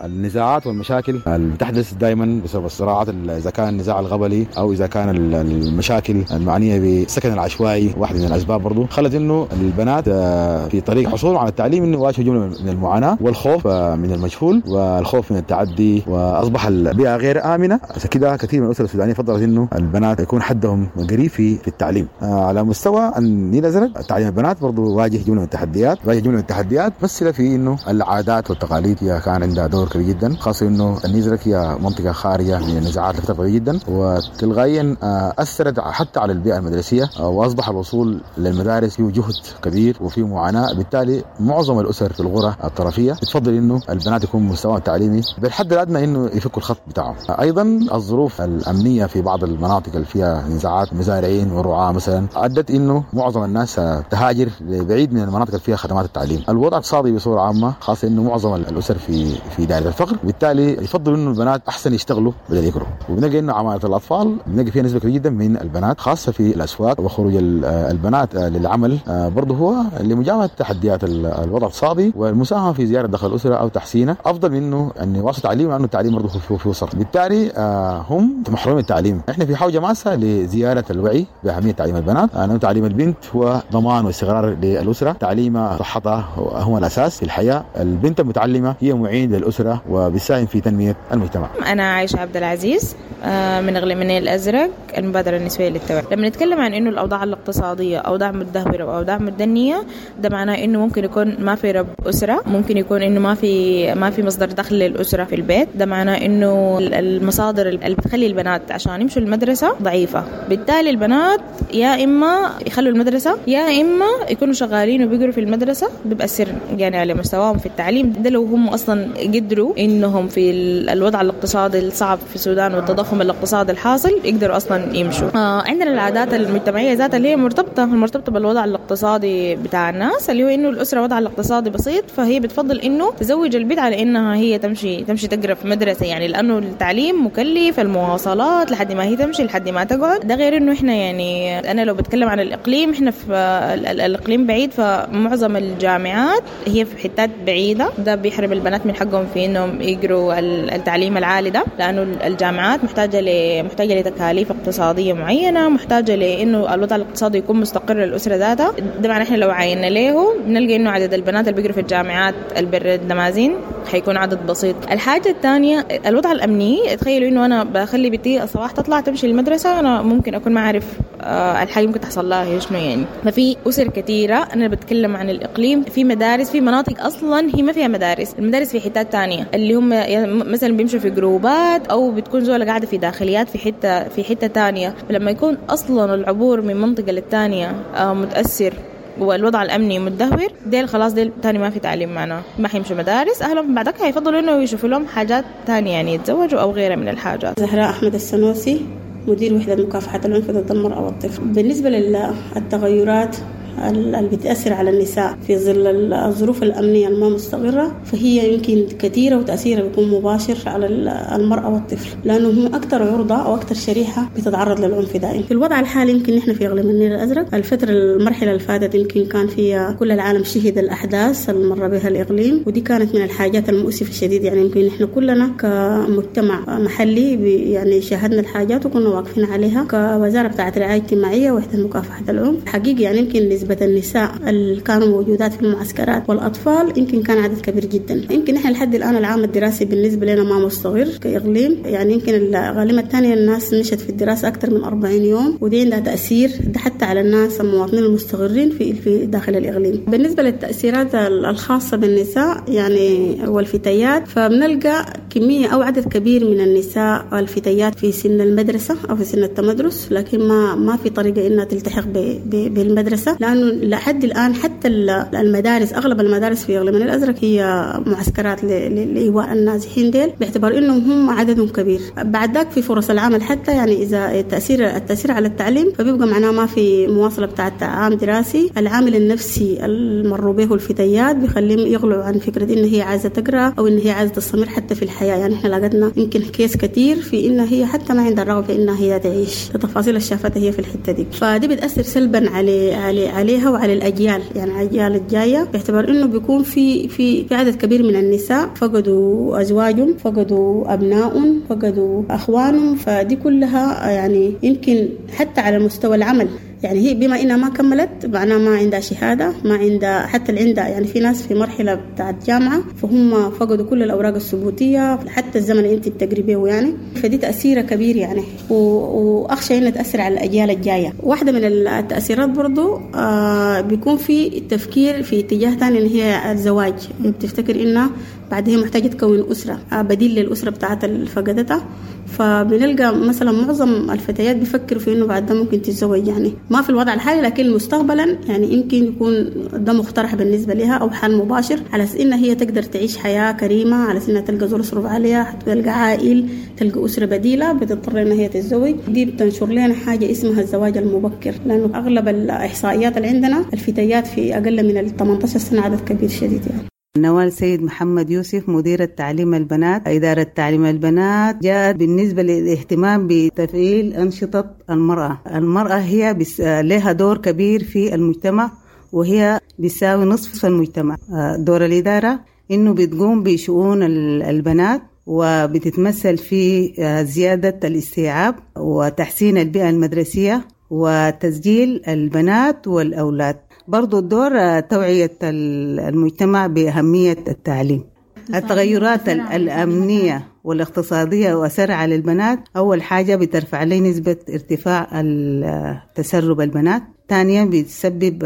النزاعات والمشاكل اللي تحدث دائما بسبب الصراعات، اذا كان النزاع القبلي او اذا كان المشاكل المعنية بالسكن العشوائي واحدة من الاسباب برضو خلت انه البنات في طريق حصولهم على التعليم انه يواجهوا جملة من المعاناة والخوف من المجهول والخوف من التعدي، واصبح البيئة غير امنه. عشان كده كثير من الاسر السودانية فضلت انه البنات يكون حدهم قريب في في التعليم. على مستوى النيل الازرق تعليم البنات برضه واجه جملة من التحديات، واجه جملة من التحديات مثل في انه العادات والتقاليد هي كان عندها دور كبير جدا، خاصة انه النيل الازرق هي منطقة خارجه من النزاعات لفترة طويلة جدا، وتلقائيا اثرت حتى على البيئة المدرسية، واصبح الوصول للمدارس فيه جهد كبير وفيه معاناة. بالتالي معظم الاسر في القرى الطرفيه بتفضل انه البنات يكون مستواهم التعليمي بالحد الادنى انه يفكوا الخط بتاعهم. ايضا الظروف الامنية في بعض المناطق اللي فيها نزاعات مزارعين ورعاة مثلا ادت انه معظم الناس تهاجر بعيد من المناطق اللي فيها خدمات التعليم. الوضع الاقتصادي بصورة عامة، خاصة انه معظم الاسر في في دائرة الفقر، بالتالي يفضل انه البنات احسن يشتغلوا بدل يقروا. وبنلقى انه عماله الاطفال بنلقى فيها نسبه كبيرة جدا من البنات، خاصة في الاسواق، وخروج البنات للعمل برضه هو لمجابهه تحديات الوضع الاقتصادي والمساهمة في زيادة دخل الاسرة او تحسينه، افضل من انه ان يواصل تعليمه، لانه التعليم برضه فيه فيه صرف. بالتالي هم محرومين التعليم. احنا في حوجه ماسه لزيارة الوعي باهمية تعليم البنات، لانه تعليم البنت هو ضمان واستقرار للاسرة، تعليمها صحتها هو الاساس في الحياة. البنت المتعلمه هي معين للاسرة وبتساهم في تنمية المجتمع. انا عايشه عبد العزيز من إقليم النيل الازرق، المبادرة النسوية للتوعية. لما نتكلم عن انه الاوضاع الاقتصادية اوضاع متدهوره واوضاع متدنيه، ده معناه انه ممكن يكون ما في رب اسره، ممكن يكون انه ما في ما في مصدر دخل للاسرة في البيت، ده معناه انه المصادر اللي بتخلي البنات عشان يمشوا المدرسة ضعيفة. بالتالي البنات يا اما يخلوا المدرسة يا اما يكونوا شغالين وبيقروا في المدرسة، بيأثر يعني على مستواهم في التعليم. ده لو هم اصلا قدروا انهم في الوضع الاقتصادي الصعب في السودان والتضخم الاقتصادي الحاصل يقدروا اصلا يمشوا. آه عندنا العادات المجتمعية ذاتها اللي هي مرتبطة المرتبطة بالوضع الاقتصادي بتاع الناس، اللي هو انه الاسرة وضعها الاقتصادي بسيط، فهي بتفضل انه تزوج البنت على انها هي تمشي تمشي تقرا في مدرسه، يعني لانه التعليم مكلف، المواصلات لحد ما هي تمشي لحد ما تقعد. ده غير انه احنا يعني انا لو بتكلم عن الاقليم، احنا في الاقليم بعيد، فمعظم الجامعات هي في حتات بعيدة، ده بيحرم البنات من حقهم في انهم يقروا التعليم العالي ده، لانه الجامعات محتاجه ل محتاجه لتكاليف اقتصادية معينة، محتاجه لانه الوضع الاقتصادي يكون مستقر للاسرة ذاتها. ده معناه احنا لو عينا له بنلقى انه عدد البنات اللي بيقروا في الجامعات البر الدمازين حيكون عدد بسيط. الحاجة الثانية الوضع الامني، تخيلوا انه انا بخلي بنتي الصباح تطلع تمشي المدرسة، انا ممكن اكون ما اعرف الحاجة ممكن تحصل لها هي شنو يعني. ففي اسر كثيرة، انا بتكلم عن الاقليم، في مدارس في مناطق اصلا هي ما فيها مدارس، المدارس في حتات ثانية اللي هم مثلا بيمشوا في جروبات او بتكون زوله قاعدة في داخليات في حتة في حتة ثانية. فلما يكون اصلا العبور من منطقة للثانيه متاثر والوضع الامني متدهور، ديل خلاص ديل تاني ما في تعليم معنا، ما حيمشوا مدارس، اهلهم بعدك هيفضلوا انه يشوفوا لهم حاجات تانية يعني يتزوجوا او غيرها من الحاجات. زهراء احمد السنوسي، مدير وحدة مكافحة العنف ضد المرأة والطفل. بالنسبة للتغيرات اللي بتأثر على النساء في ظل الظروف الأمنية الما مستقرة، فهي يمكن كثيرة وتأثيرها بيكون مباشر على المرأة والطفل، لأنه هم أكثر عرضة أو أكثر شريحة بتتعرض للعنف دائما. في الوضع الحالي يمكن نحن في إقليم النيل الأزرق الفترة المرحلة اللي فاتت يمكن كان فيها كل العالم شهد الأحداث اللي مر بها الإقليم، ودي كانت من الحاجات المؤسفة الشديد. يعني يمكن نحن كلنا كمجتمع محلي يعني شاهدنا الحاجات وكنا واقفين عليها كوزارة بتاعة الرعاية الاجتماعية وحدة مكافحة العنف. حقيقي يعني يمكن نسبة النساء اللي كانوا موجودات في المعسكرات والأطفال يمكن كان عدد كبير جدا. يمكن إحنا لحد الآن العام الدراسي بالنسبة لنا ما مستقر كإقليم، يعني يمكن الغالبية الثانية الناس مشت في الدراسة أكثر من أربعين يوم، ودي عندها تأثير ده حتى على الناس المواطنين المستقرين في في داخل الإقليم. بالنسبة للتأثيرات الخاصة بالنساء يعني والفتيات، فبنلقى كمية أو عدد كبير من النساء والفتيات في سن المدرسة أو في سن التمدرس، لكن ما ما في طريقة إنها تلتحق بالمدرسة، لأنه لحد الآن حتى المدارس أغلب المدارس في إقليم الأزرق هي معسكرات لإيواء النازحين ديل، باعتبار إنهم هم عددهم كبير. بعد ذاك في فرص العمل حتى يعني إذا التأثير التأثير على التعليم فبيبقى معناه ما في مواصلة بتاعة عام دراسي. العامل النفسي اللي مروا به الفتيات بيخليهم يغلوا عن فكرة إن هي عايزة تقرأ أو إن هي عايزة تستمر حتى في الحياة. يعني إحنا لقينا يمكن كيس كتير في إن هي حتى ما عندها الرغبة إنها هي تعيش، التفاصيل اللي شافتها هي في الحتة دي، فدي بتأثر سلبا على على عليها وعلى الأجيال، يعني الأجيال الجاية، باعتبار إنه بيكون في في في عدد كبير من النساء فقدوا أزواجهم، فقدوا أبنائهم، فقدوا أخوانهم، فدي كلها يعني يمكن حتى على مستوى العمل. يعني هي بما إنها ما كملت معناها ما عندها شهادة، ما عندها حتى اللي عندها، يعني في ناس في مرحلة بتاعت جامعة فهم فقدوا كل الأوراق الثبوتية حتى الزمن اللي أنت بتقري به يعني، فدي تأثيرها كبير يعني، وأخشى إنها تأثر على الأجيال الجاية. واحدة من التأثيرات برضو آه بيكون في التفكير في اتجاه ثاني اللي هي الزواج، بتفتكر إنها بعد هي محتاجة تكون أسرة بديل للأسرة بتاعت اللي فقدتها، فبنلقى مثلا معظم الفتيات بيفكروا في إنه بعد ده ممكن تتزوج، يعني ما في الوضع الحالي لكن مستقبلا يعني يمكن يكون ده مقترح بالنسبة لها أو حل مباشر على أساس إنها هي تقدر تعيش حياة كريمة، على أساس إنها تلقى زول يصرف عليها، تلقى عائل، تلقى أسرة بديلة، بتضطر إنها هي تتزوج. دي بتنشر لنا حاجة اسمها الزواج المبكر، لأنه أغلب الإحصائيات اللي عندنا الفتيات في أقل من ال ثمانية عشر سنة عدد كبير شديد يعني. نوال سيد محمد يوسف، مديرة تعليم البنات. إدارة تعليم البنات جاءت بالنسبة للاهتمام بتفعيل أنشطة المرأة. المرأة هي بس لها دور كبير في المجتمع، وهي بتساوي نصف المجتمع. دور الإدارة إنه بتقوم بشؤون البنات، وبتتمثل في زيادة الاستيعاب وتحسين البيئة المدرسية وتسجيل البنات والأولاد. برضو الدور توعية المجتمع بأهمية التعليم. التغيرات الأمنية والاقتصادية وأثرها على البنات، أول حاجة بترفع لي نسبة ارتفاع تسرب البنات، ثانيا بتسبب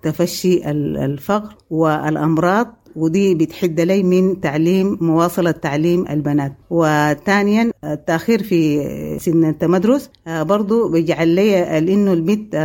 تفشي الفقر والأمراض، ودي بتحد لي من تعليم مواصلة تعليم البنات. وثانيا التأخير في سن التمدرس برضو بيجعل لي إنه البنت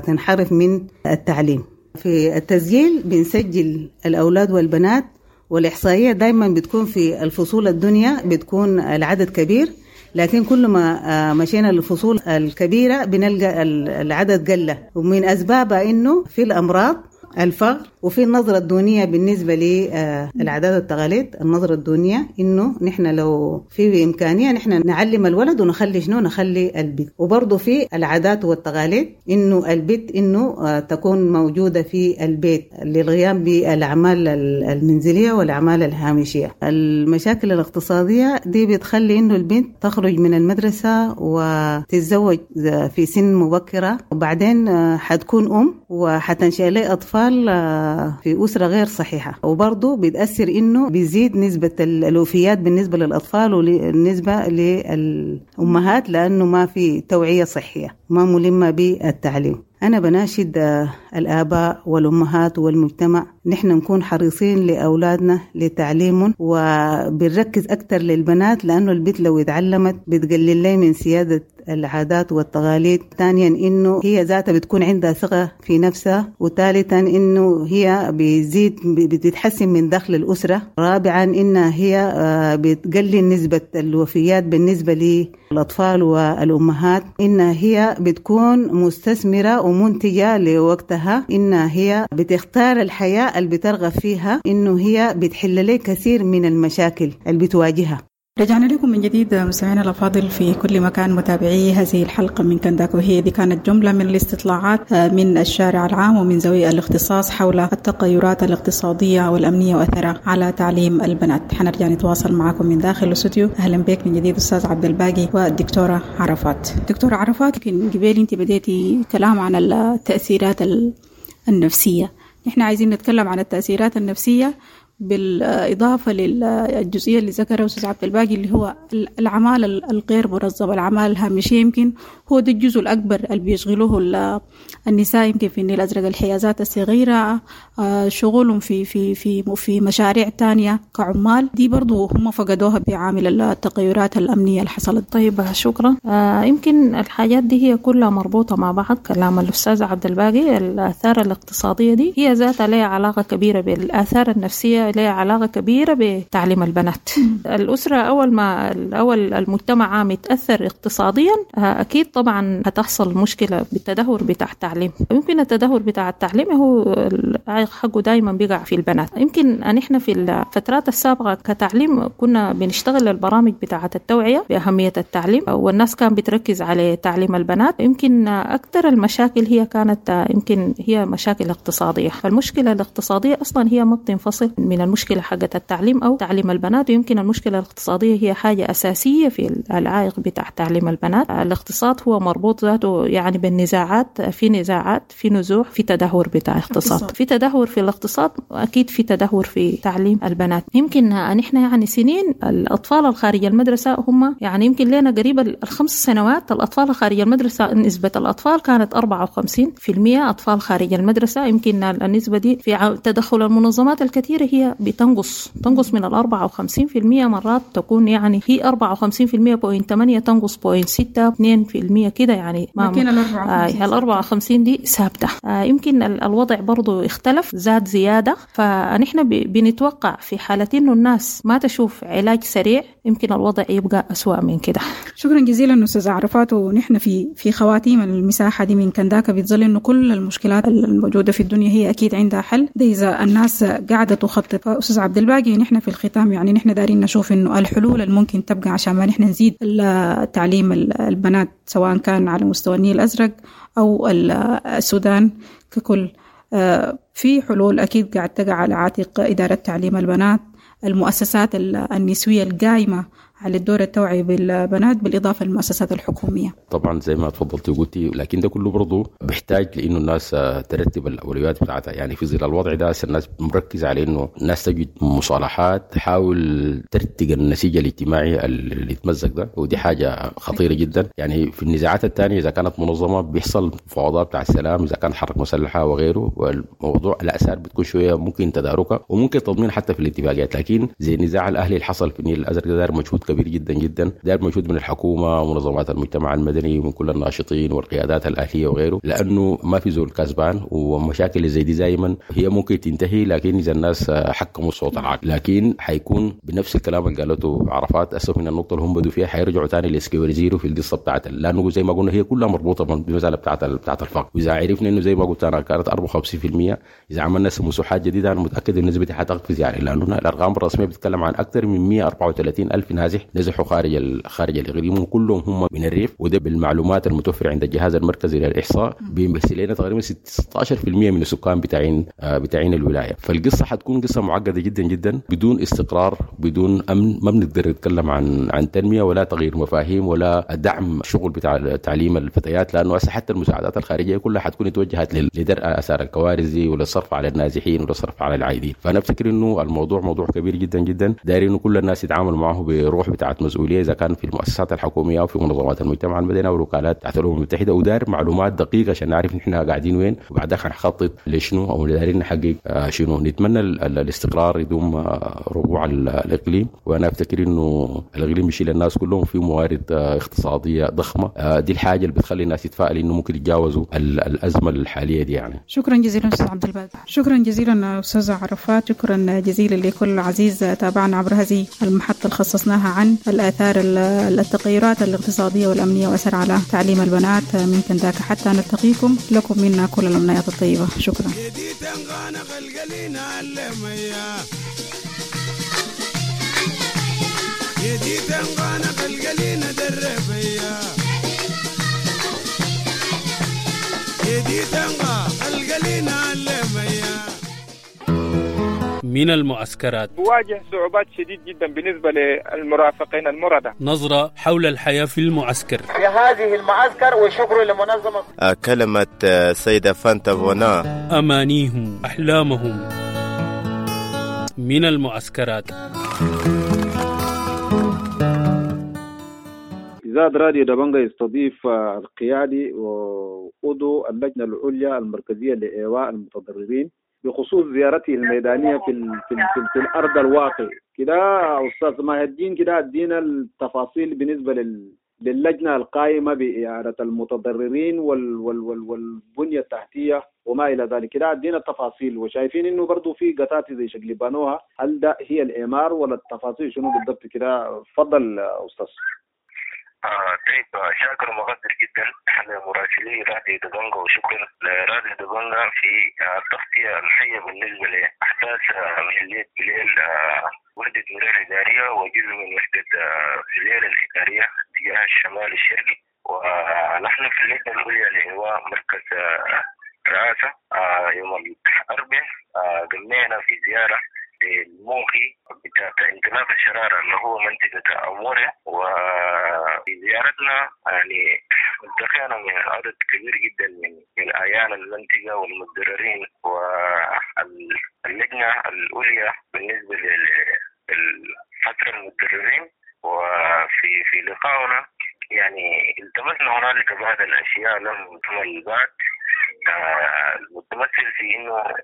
تنحرف من التعليم. في التسجيل بنسجل الأولاد والبنات، والإحصائية دايما بتكون في الفصول الدنيا بتكون العدد كبير، لكن كل ما مشينا للفصول الكبيرة بنلقى العدد قل، ومن أسبابها إنه في الأمراض، الفقر، وفي النظرة الدونية بالنسبة للعادات والتقاليد. النظرة الدونية إنه نحن لو في إمكانية نحن نعلم الولد ونخلي شنو نخلي البيت، وبرضه في العادات والتقاليد إنه البيت إنه تكون موجودة في البيت للقيام بالأعمال المنزلية والأعمال الهامشية. المشاكل الاقتصادية دي بتخلي إنه البنت تخرج من المدرسة وتتزوج في سن مبكرة، وبعدين حتكون أم وحتنشأ لي أطفال في أسرة غير صحيحة. وبرضه بتأثر إنه بيزيد نسبة الوفيات بالنسبة للأطفال وبالنسبة للأمهات، لأنه ما في توعية صحية، ما ملمة بالتعليم. أنا بناشد الآباء والأمهات والمجتمع نحن نكون حريصين لأولادنا لتعليمهم، وبنركز أكثر للبنات، لأنه البنت لو اتعلمت بتقلل لي من سيادة العادات والتقاليد. ثانيا إنه هي ذاتها بتكون عندها ثقة في نفسها، وثالثا إنه هي بيزيد بتتحسن من دخل الأسرة، رابعا إنها هي بتقلل نسبة الوفيات بالنسبة للأطفال والأمهات، إنها هي بتكون مستثمرة ومنتجة لوقتها، إنها هي بتختار الحياة اللي بترغب فيها، إنه هي بتحل لي كثير من المشاكل اللي بتواجهها. رجعنا لكم من جديد مستمعينا الأفاضل في كل مكان متابعي هذه الحلقة من كنداك، وهي دي كانت جملة من الاستطلاعات من الشارع العام ومن ذوي الاختصاص حول التغيرات الاقتصادية والأمنية وأثرها على تعليم البنات. حنرجع نتواصل معكم من داخل الاستوديو. أهلا بك من جديد أستاذ عبد الباقي والدكتورة عرفات. دكتورة عرفات، يمكن قبل أنت بديتي كلام عن التأثيرات النفسية، نحن عايزين نتكلم عن التأثيرات النفسية بالإضافة للجزئية اللي ذكرها أستاذ عبد الباقي اللي هو الأعمال الغير منظمة، الأعمال الهامشية. يمكن هو ده الجزء الأكبر اللي بيشغلوه النساء يمكن في النيل الأزرق، الحيازات الصغيرة، شغلهم في في في في مشاريع تانية كعمال، دي برضو هم فقدوها بعامل التغيرات الأمنية اللي حصلت. طيب شكرا. آه يمكن الحاجات دي هي كلها مربوطة مع بعض. كلام الأستاذ عبد الباقي، الآثار الاقتصادية دي هي ذاتها لها علاقة كبيرة بالآثار النفسية، لها علاقة كبيرة بتعليم البنات. الأسرة أول ما أول المجتمع عام يتأثر اقتصاديا أكيد طبعا هتحصل مشكلة بالتدهور بتاع التعليم. يمكن التدهور بتاع التعليم هو العائق حقه دايما بيقع في البنات. يمكن نحن في الفترات السابقة كتعليم كنا بنشتغل البرامج بتاعة التوعية بأهمية التعليم، والناس كان بتركز على تعليم البنات. يمكن أكثر المشاكل هي كانت يمكن هي مشاكل اقتصادية. فالمشكلة الاقتصادية أصلا هي ما بتنفصل من من المشكلة حقة التعليم أو تعليم البنات. ويمكن المشكلة الاقتصادية هي حاجة أساسية في العائق بتاع تعليم البنات. الاقتصاد هو مربوط ذاته يعني بالنزاعات، في نزاعات، في نزوح، في تدهور بتاع اقتصاد، في تدهور في الاقتصاد، أكيد في تدهور في تعليم البنات. يمكن نحن يعني سنين الأطفال الخارج المدرسة هم يعني يمكن لنا قريب الخمس سنوات الأطفال خارج المدرسة نسبة الأطفال كانت أربعة وخمسين في المية أطفال خارج المدرسة. يمكن النسبة دي في تدخل المنظمات الكثيرة هي بتنقص تنقص من الأربعة وخمسين في المية، مرات تكون يعني هي أربعة وخمسين في المية point ثمانية تنقص point ستة اثنين في المية كده يعني. لكن الأربعة وخمسين دي ثابتة. آه يمكن الوضع برضو اختلف، زاد زيادة. فنحن بنتوقع في حالة إنه الناس ما تشوف علاج سريع يمكن الوضع يبقى أسوأ من كده. شكرا جزيلا أستاذ عرفات. ونحن في في خواتيم المساحة دي من كنداكا بتظل إنه كل المشكلات الموجودة في الدنيا هي أكيد عندها حل، ده إذا الناس قاعدة تخطط. أستاذ عبد الباقي، نحن في الختام يعني نحن دارين نشوف إنه الحلول الممكن تبقى عشان ما نحن نزيد تعليم البنات سواء كان على مستوى النيل الأزرق أو السودان ككل. في حلول أكيد قاعد تقع على عاتق إدارة تعليم البنات، المؤسسات النسوية القائمة على الدور التوعي بالبنات، بالإضافة للمؤسسات الحكومية. طبعا زي ما تفضلتي وقلتي، لكن ده كله برضه بيحتاج لأنه الناس ترتب الأولويات بتاعتها. يعني في ظل الوضع ده الناس مركزة على إنه الناس تجد مصالحات، تحاول ترتق النسيج الاجتماعي اللي يتمزق ده، ودي حاجة خطيرة جدا. يعني في النزاعات الثانية إذا كانت منظمة بيحصل مفاوضات بتاع السلام، إذا كانت حركة مسلحة وغيره، والموضوع الأسار بتكون شوية ممكن تداركها وممكن تضمين حتى في الاتفاقيات. لكن زي النزاع الأهلي اللي حصل في النيل الأزرق ده دار مجهود كبير جدا جدا، دار مجهود من الحكومة ومنظمات المجتمع المدني ومن كل الناشطين والقيادات الأهلية وغيره، لأنه ما في زول كسبان، ومشاكل زي دي دائما هي ممكن تنتهي لكن إذا الناس حكموا الصوت العقل. لكن حيكون بنفس الكلام اللي قالته عرفات، أسف من النقطة اللي هم بدوا فيها حيرجعوا تاني ل square zero في القصة بتاعت، لأنه زي ما قلنا هي كلها مربوطة بالمسألة بتاعت بتاعت الفقر. وإذا عرفنا إنه زي ما قلت أنا كانت أربعة وخمسين بالمئة، إذا عملنا مساحات جديدة أنا متأكد إن النسبة حتقفز، يعني لأنه الأرقام الرسمية بتتكلم عن أكثر من مئة وأربعة وثلاثين ألف نازح نزحوا خارج خارج الإقليم، وكلهم هم من الريف. وده بالمعلومات المتوفرة عند الجهاز المركزي للإحصاء بيمثل لنا تقريبا ستة عشر بالمئة من السكان بتاعين بتاعين الولاية. فالقصة حتكون قصة معقدة جدا جدا، بدون استقرار، بدون أمن، ما بنقدر نتكلم عن عن تنمية ولا تغيير مفاهيم ولا دعم شغل بتاع تعليم الفتيات، لأنه حتى المساعدات الخارجية كلها حتكون توجهت لدرء آثار الكوارث دي وللصرف على النازحين وللصرف على العائدين. فأنا أفتكر إنه الموضوع موضوع كبير جدا جدا، داير إنه كل الناس يتعاملوا معه بروح بتاعت مسؤولية، إذا كان في المؤسسات الحكومية أو في منظمات المجتمع المدني أو الوكالات بتاعت الأمم المتحدة، ودار معلومات دقيقة عشان نعرف نحن قاعدين وين، وبعدها حنخطط لشنو أو دايرين نحقق شنو. نتمنى الاستقرار يدوم ربوع الإقليم، وأنا أفتكر إنه الإقليم بيشيل الناس كلهم في موارد اقتصادية ضخمة، دي الحاجة اللي بتخلي الناس يتفائل إنه ممكن يتجاوزوا الأزمة الحالية دي يعني. شكرا جزيلا أستاذ عبد الباقي، شكرا جزيلا أستاذ عرفات، شكرا جزيلا لكل عزيز تابعنا عبر هذه المحطة اللي خصصناها عن الآثار التغيرات الاقتصادية والأمنية وأثر على تعليم البنات من كنداكا. حتى نلتقيكم، لكم منا كل الأمنيات الطيبة. شكرا. من المعسكرات بواجه صعوبات شديد جدا بالنسبة للمرافقين المرضى. نظرة حول الحياة في المعسكر في هذه المعسكر، وشكر لمنظمة كلمة سيدة فانتا فونا، أمانيهم، أحلامهم. من المعسكرات. إذاعة راديو دبنجا يستضيف القيادي وعضو اللجنة العليا المركزية لإيواء المتضررين بخصوص زيارته الميدانية في ال في, ال في, ال في الأرض الواقع. كده أستاذ ماهر الدين، كده ادينا التفاصيل بالنسبة لل للجنة القائمة بإعادة المتضررين وال وال وال والبنية التحتية وما إلى ذلك. كده ادينا التفاصيل، وشايفين إنه برضو في قطات زي شكل بانوها، هل ده هي الإعمار ولا التفاصيل شنو بالضبط؟ كده تفضل أستاذ. آه طيب، شاكر ومقدر جدا لمراسلي راديو دبنجا، وشكرا لراديو دبنجا في التغطية الحية بالنسبة لأحداث محلية بليل، وحدة مرير الإدارية وجزء من وحدة بليل الإدارية تجاه الشمال الشرقي. ونحن في اللجنة العليا لإيواء مركز رئاسة يوم الأربعاء قمنا في زيارة النواحي بتاعت انطلاق الشرارة اللي هو منطقة أموريا. وفي زيارتنا يعني التقينا من عدد كبير جدا من من أعيان المنطقة والمتضررين واللجنة العليا بالنسبة للفترة المتضررين. وفي في لقائنا يعني التمسنا هنالك بعض الأشياء لم تكمل بعد، المتمثل في انه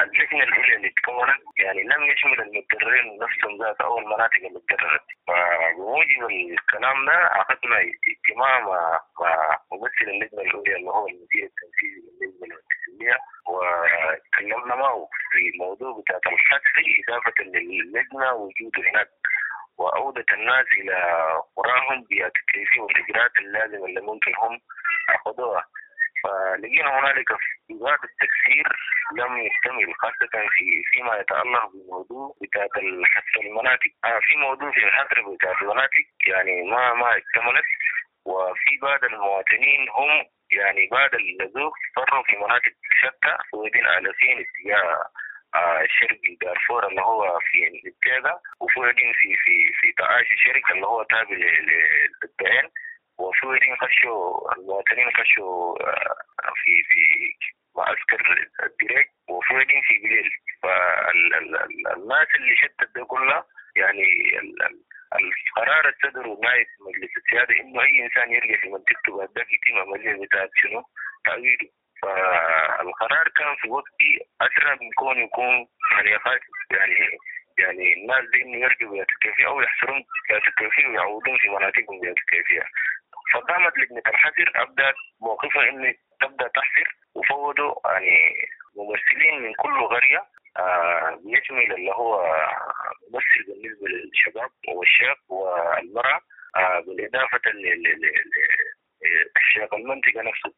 اللجنة العليا اللي تكونت يعني لم يشمل المتضررين نفسهم ذات او المناطق اللي تضررت. فبموجب الكلام ده عقدنا اجتماع مع مع ممثل اللجنة العليا اللي هو المدير التنفيذي للجنة التنفيذية، وتكلمنا معه في موضوع بتاع الحصر اضافه للجنة وجوده هناك وعودة الناس إلى قراهم بالتكليف والإجراءات اللازمة اللي ممكن هم أخذوها. فلقينا هنالك في بعض التكسير لم يكتمل، خاصة في فيما يتعلق بموضوع بتاعت الحصر المناطق. آه في موضوع في الحصر بتاعت المناطق يعني ما ما اكتملت، وفي بعض المواطنين هم يعني بعد النزوح فروا في مناطق شتى وبين آلافين اتجاه شرق دارفور اللي هو في التاجة، وفوقين في في في تعاش الشركة اللي هو تابع للدعين، وفوقين خشوا المواطنين خشوا في في معسكر الدريك، وفوقين في بليل. فالناس اللي شتت ده كلها يعني القرار الصدر نائب مجلس السيادة إنه أي إنسان يرجع في منطقته بعد ذاك يتم عملية بتاعت شنو تعويضه. فالقرار كان في وقتي أسرع من كون يكون يعني يعني يعني الناس دي إنه يرجعوا بيتكيفية أو يحصرون بيتكيفية ويعودون في مناطقهم بيتكيفية. فقامت لجنة الحصر أبدأت موقفها إنه تبدأ تحصر، وفوضوا يعني ممثلين من كل قرية آه بيشمل اللي هو ممثل بالنسبة للشباب والشاب والمرأة، آه بالإضافة للشيخ المنطقة نفسه.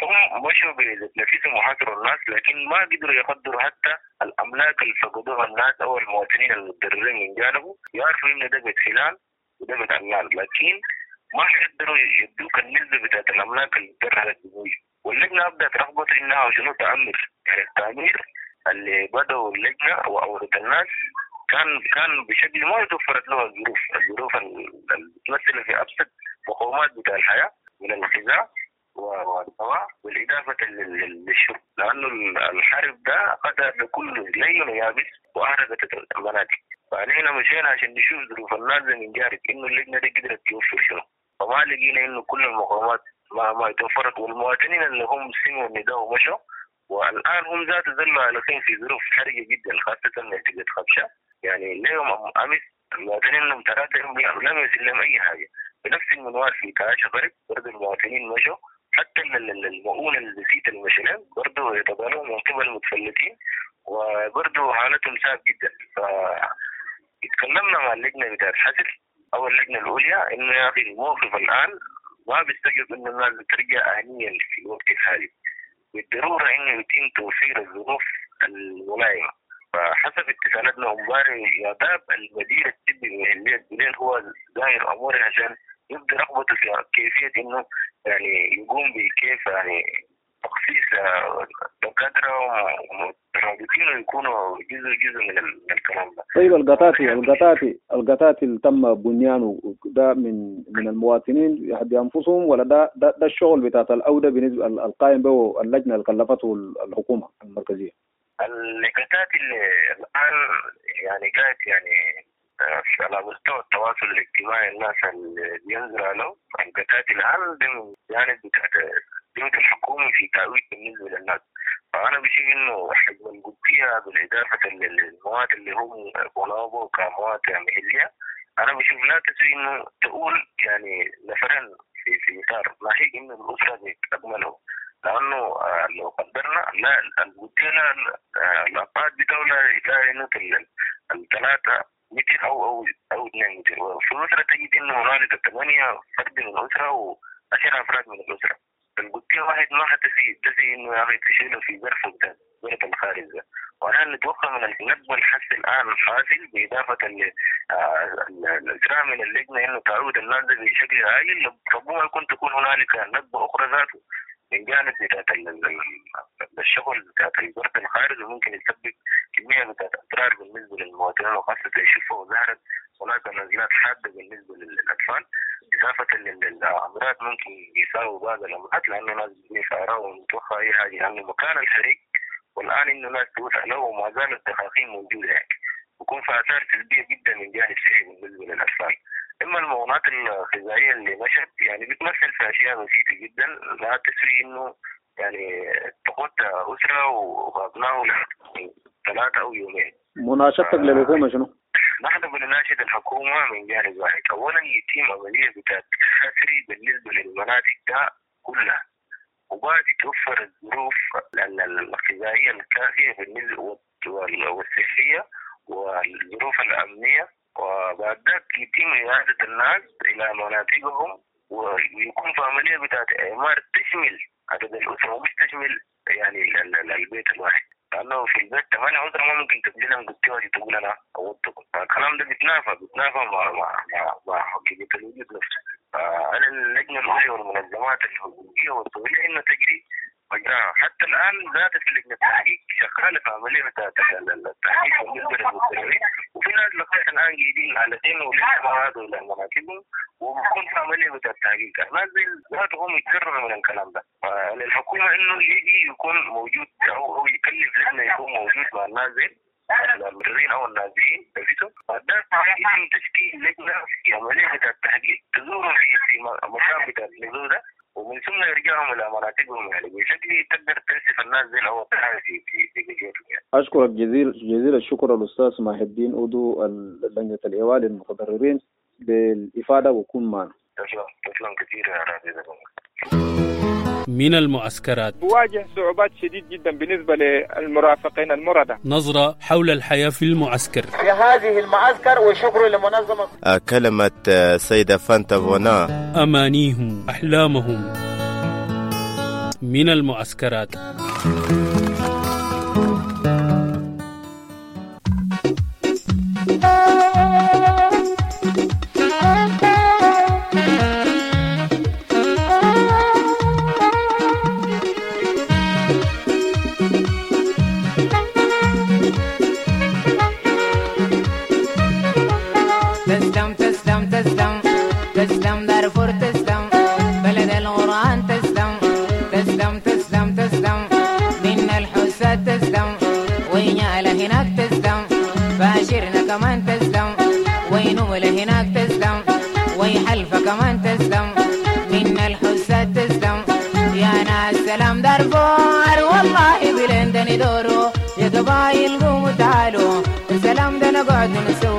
هم مشوا بنفسهم وحاصروا الناس، لكن ما قدروا يقدروا حتى الأملاك اللي فقدوها الناس أو المواطنين المتضررين من جانبه، يعرفوا إن ده بيت فلان وده بيت علان، لكن ما حيقدروا يدوك النسبة بتاعت الأملاك اللي تضررت بموجب. واللجنة أبدأت رغبة إنها شنو تعمر، يعني التعمير اللي بدأوا اللجنة وأورد الناس كان كان بشكل ما توفرت له الظروف، الظروف المتمثلة في أبسط مقومات بتاع الحياة من الغذاء والدواء والإضافة للشرب، لأنه الحرب ده قضى بكل لين ويابس وأحرقت المناطق. فعلينا مشينا عشان نشوف ظروف الناس من جانب إنه اللجنة دي قدرت توفر شنو، فما لقينا إنه كل المقومات ما ما توفرت، والمواطنين اللي هم سمعوا النداء ومشوا والآن هم ذات ظلوا عالقين في ظروف حرجة جدا، خاصة منطقة خبشة. يعني اليوم أمس المواطنين لهم ثلاثة لم يصل لهم أي حاجة. بنفس المنوال في كعاشة غرب برضه المواطنين مشوا، حتى المؤونة البسيطة المشلين برضه يتضالوا من قبل المتفلتين، وبرضه حالتهم صعب جدا. فتكلمنا مع اللجنة بتاعت حسر أو اللجنة العليا إنه يا أخي الموقف الآن ما بيستجب إنه الناس ترجع آنيا في الوقت الحالي، بالضرورة إنه يتم توفير الظروف الملائمة. فحسب اتصالاتنا امبارح يا باب المدير الطبي من بليل هو داير اموره عشان يبدي رغبته في كيفية انه يعني يقوم بكيف يعني تخصيص دكاترة ومترابطين ويكونوا جزء جزء من الكلام ده. طيب القطاطي القطاطي القطاطي اللي تم بنيانه ده من من المواطنين بانفسهم ولا ده ده, ده الشغل بتاع الاوده بالنسبة القائم به اللجنة اللي كلفته الحكومة المركزية؟ اللقطات اللي الآن يعني قاعد يعني على مستوى التواصل الاجتماعي الناس اللي بينظروا له اللقطات الآن ده من جانب بتاعت جهد الحكومة في تعويض بالنسبة للناس. فأنا بشوف إنه حجم القدسية بالإضافة للمواد اللي هم بنابو كمواد محلية، أنا بشوف لا تسوي إنه تقول يعني نفرا في في إطار ناهيك إنه الأسرة بتأمله، لأنه لو قدرنا لا القدسية الأبعاد بتاعه لا ينوت الثلاثة متر أو أو أو اثنين متر، وفي الأسرة تجد إنه هنالك ثمانية فرد من الأسرة وعشرة أفراد من الأسرة. القدسية واحد ما حتسي تسي إنه يا أخي تشيله في ظرف بتاع ظرف الخارج ده. وأنا نتوقع من النقب الحس الآن الحاصل بإضافة للإسراء من اللجنة إنه تعود الناس بشكل عاجل، ربما يكون تكون هنالك نقبة أخرى ذاته من جانب بتاعت الشغل بتاعت البرد الخارج، وممكن يسبب كمية بتاعت اضرار بالنسبة للمواطنين، وخاصة الشفه وظهرت هناك نزلات حادة بالنسبة للاطفال، اضافه للامراض ممكن يساووا بعض الامراض لانه ناس بتبني فأرة ومتوخى اي حاجة، لانه مكان الحريق والان انه ناس توسع له وما زالت الدخاخين موجودة يعني، بيكون في اثار سلبية جدا من جانب صحي بالنسبة للاطفال. اما المعونات الغذائية اللي مشت يعني بتمثل في اشياء بسيطة جدا لا تسوي انه يعني تقود اسره وابنائه ثلاثة او يومين. مناشدتك للحكومة شنو؟ نحن بنناشد الحكومة من جانب واحد، اولا يتم عملية بتاعت حصري بالنسبة للمناطق ده كلها، وبعد توفر الظروف الغذائية الكافيه بالنسبة والصحية والظروف الامنية، وبعد ذاك يتم إعادة الناس إلى مناطقهم، ويكون في عملية بتاعت إعمار تشمل عدد الأسرة ومش تشمل يعني البيت الواحد، لأنه في البيت ثمانية أسرة ما ممكن تبني لهم قطية تقول أنا عوضتكم، فالكلام ده بيتنافى بيتنافى مع مع مع حقيقة الوجود نفسه. فعلى اللجنة العليا والمنظمات الحقوقية والدولية إنه تجري مجراها. حتى الآن ذات لجنة التحقيق شغالة في عملية بتاعت التحقيق بالنسبة للمتضررين، وفي ناس لغاية الآن قاعدين على دين ولسه ما عادوا إلى مناطقهم، وبكون في عملية بتاعت التحقيق. الناس دي ذاتهم يتكرروا من الكلام ده، فالحكومة إنه يجي يكون موجود أو أو يكلف لجنة يكون موجود مع الناس دي المتضررين أو النازحين نفسهم، بعد يتم تشكيل لجنة في عملية بتاعت التحقيق تزورهم في في مكان بتاع النزول ده، ومن ثم يرجعهم الى مناطقهم يعني بشكل تقدر تنسف الناس زي الاول في في في بيوتهم يعني. اشكرك جزيل جزيل الشكر الاستاذ ماهي الدين عضو لجنة الايواء للمتضررين بالافاده وكون معنا. تسلم تسلم كثير يا راديو. من المعسكرات بواجه صعوبات شديد جدا بالنسبة للمرافقين المرضى. نظرة حول الحياة في المعسكر في هذه المعسكر، وشكر لمنظمة كلمة سيدة فانتا فونا. أمانيهم أحلامهم من المعسكرات. تسلم تسلم تسلم تسلم دارفور تسلم بلد القرآن تسلم تسلم تسلم تسلم من الحساد تسلم وينيا هناك تسلم فاشرنا كمان تسلم وينمل هناك تسلم ويحلفة كمان تسلم من الحساد تسلم يا ناس سلام دارفور والله بلندن دورو يا قبايل قوموا تعالوا السلام ده نقعد نسوي.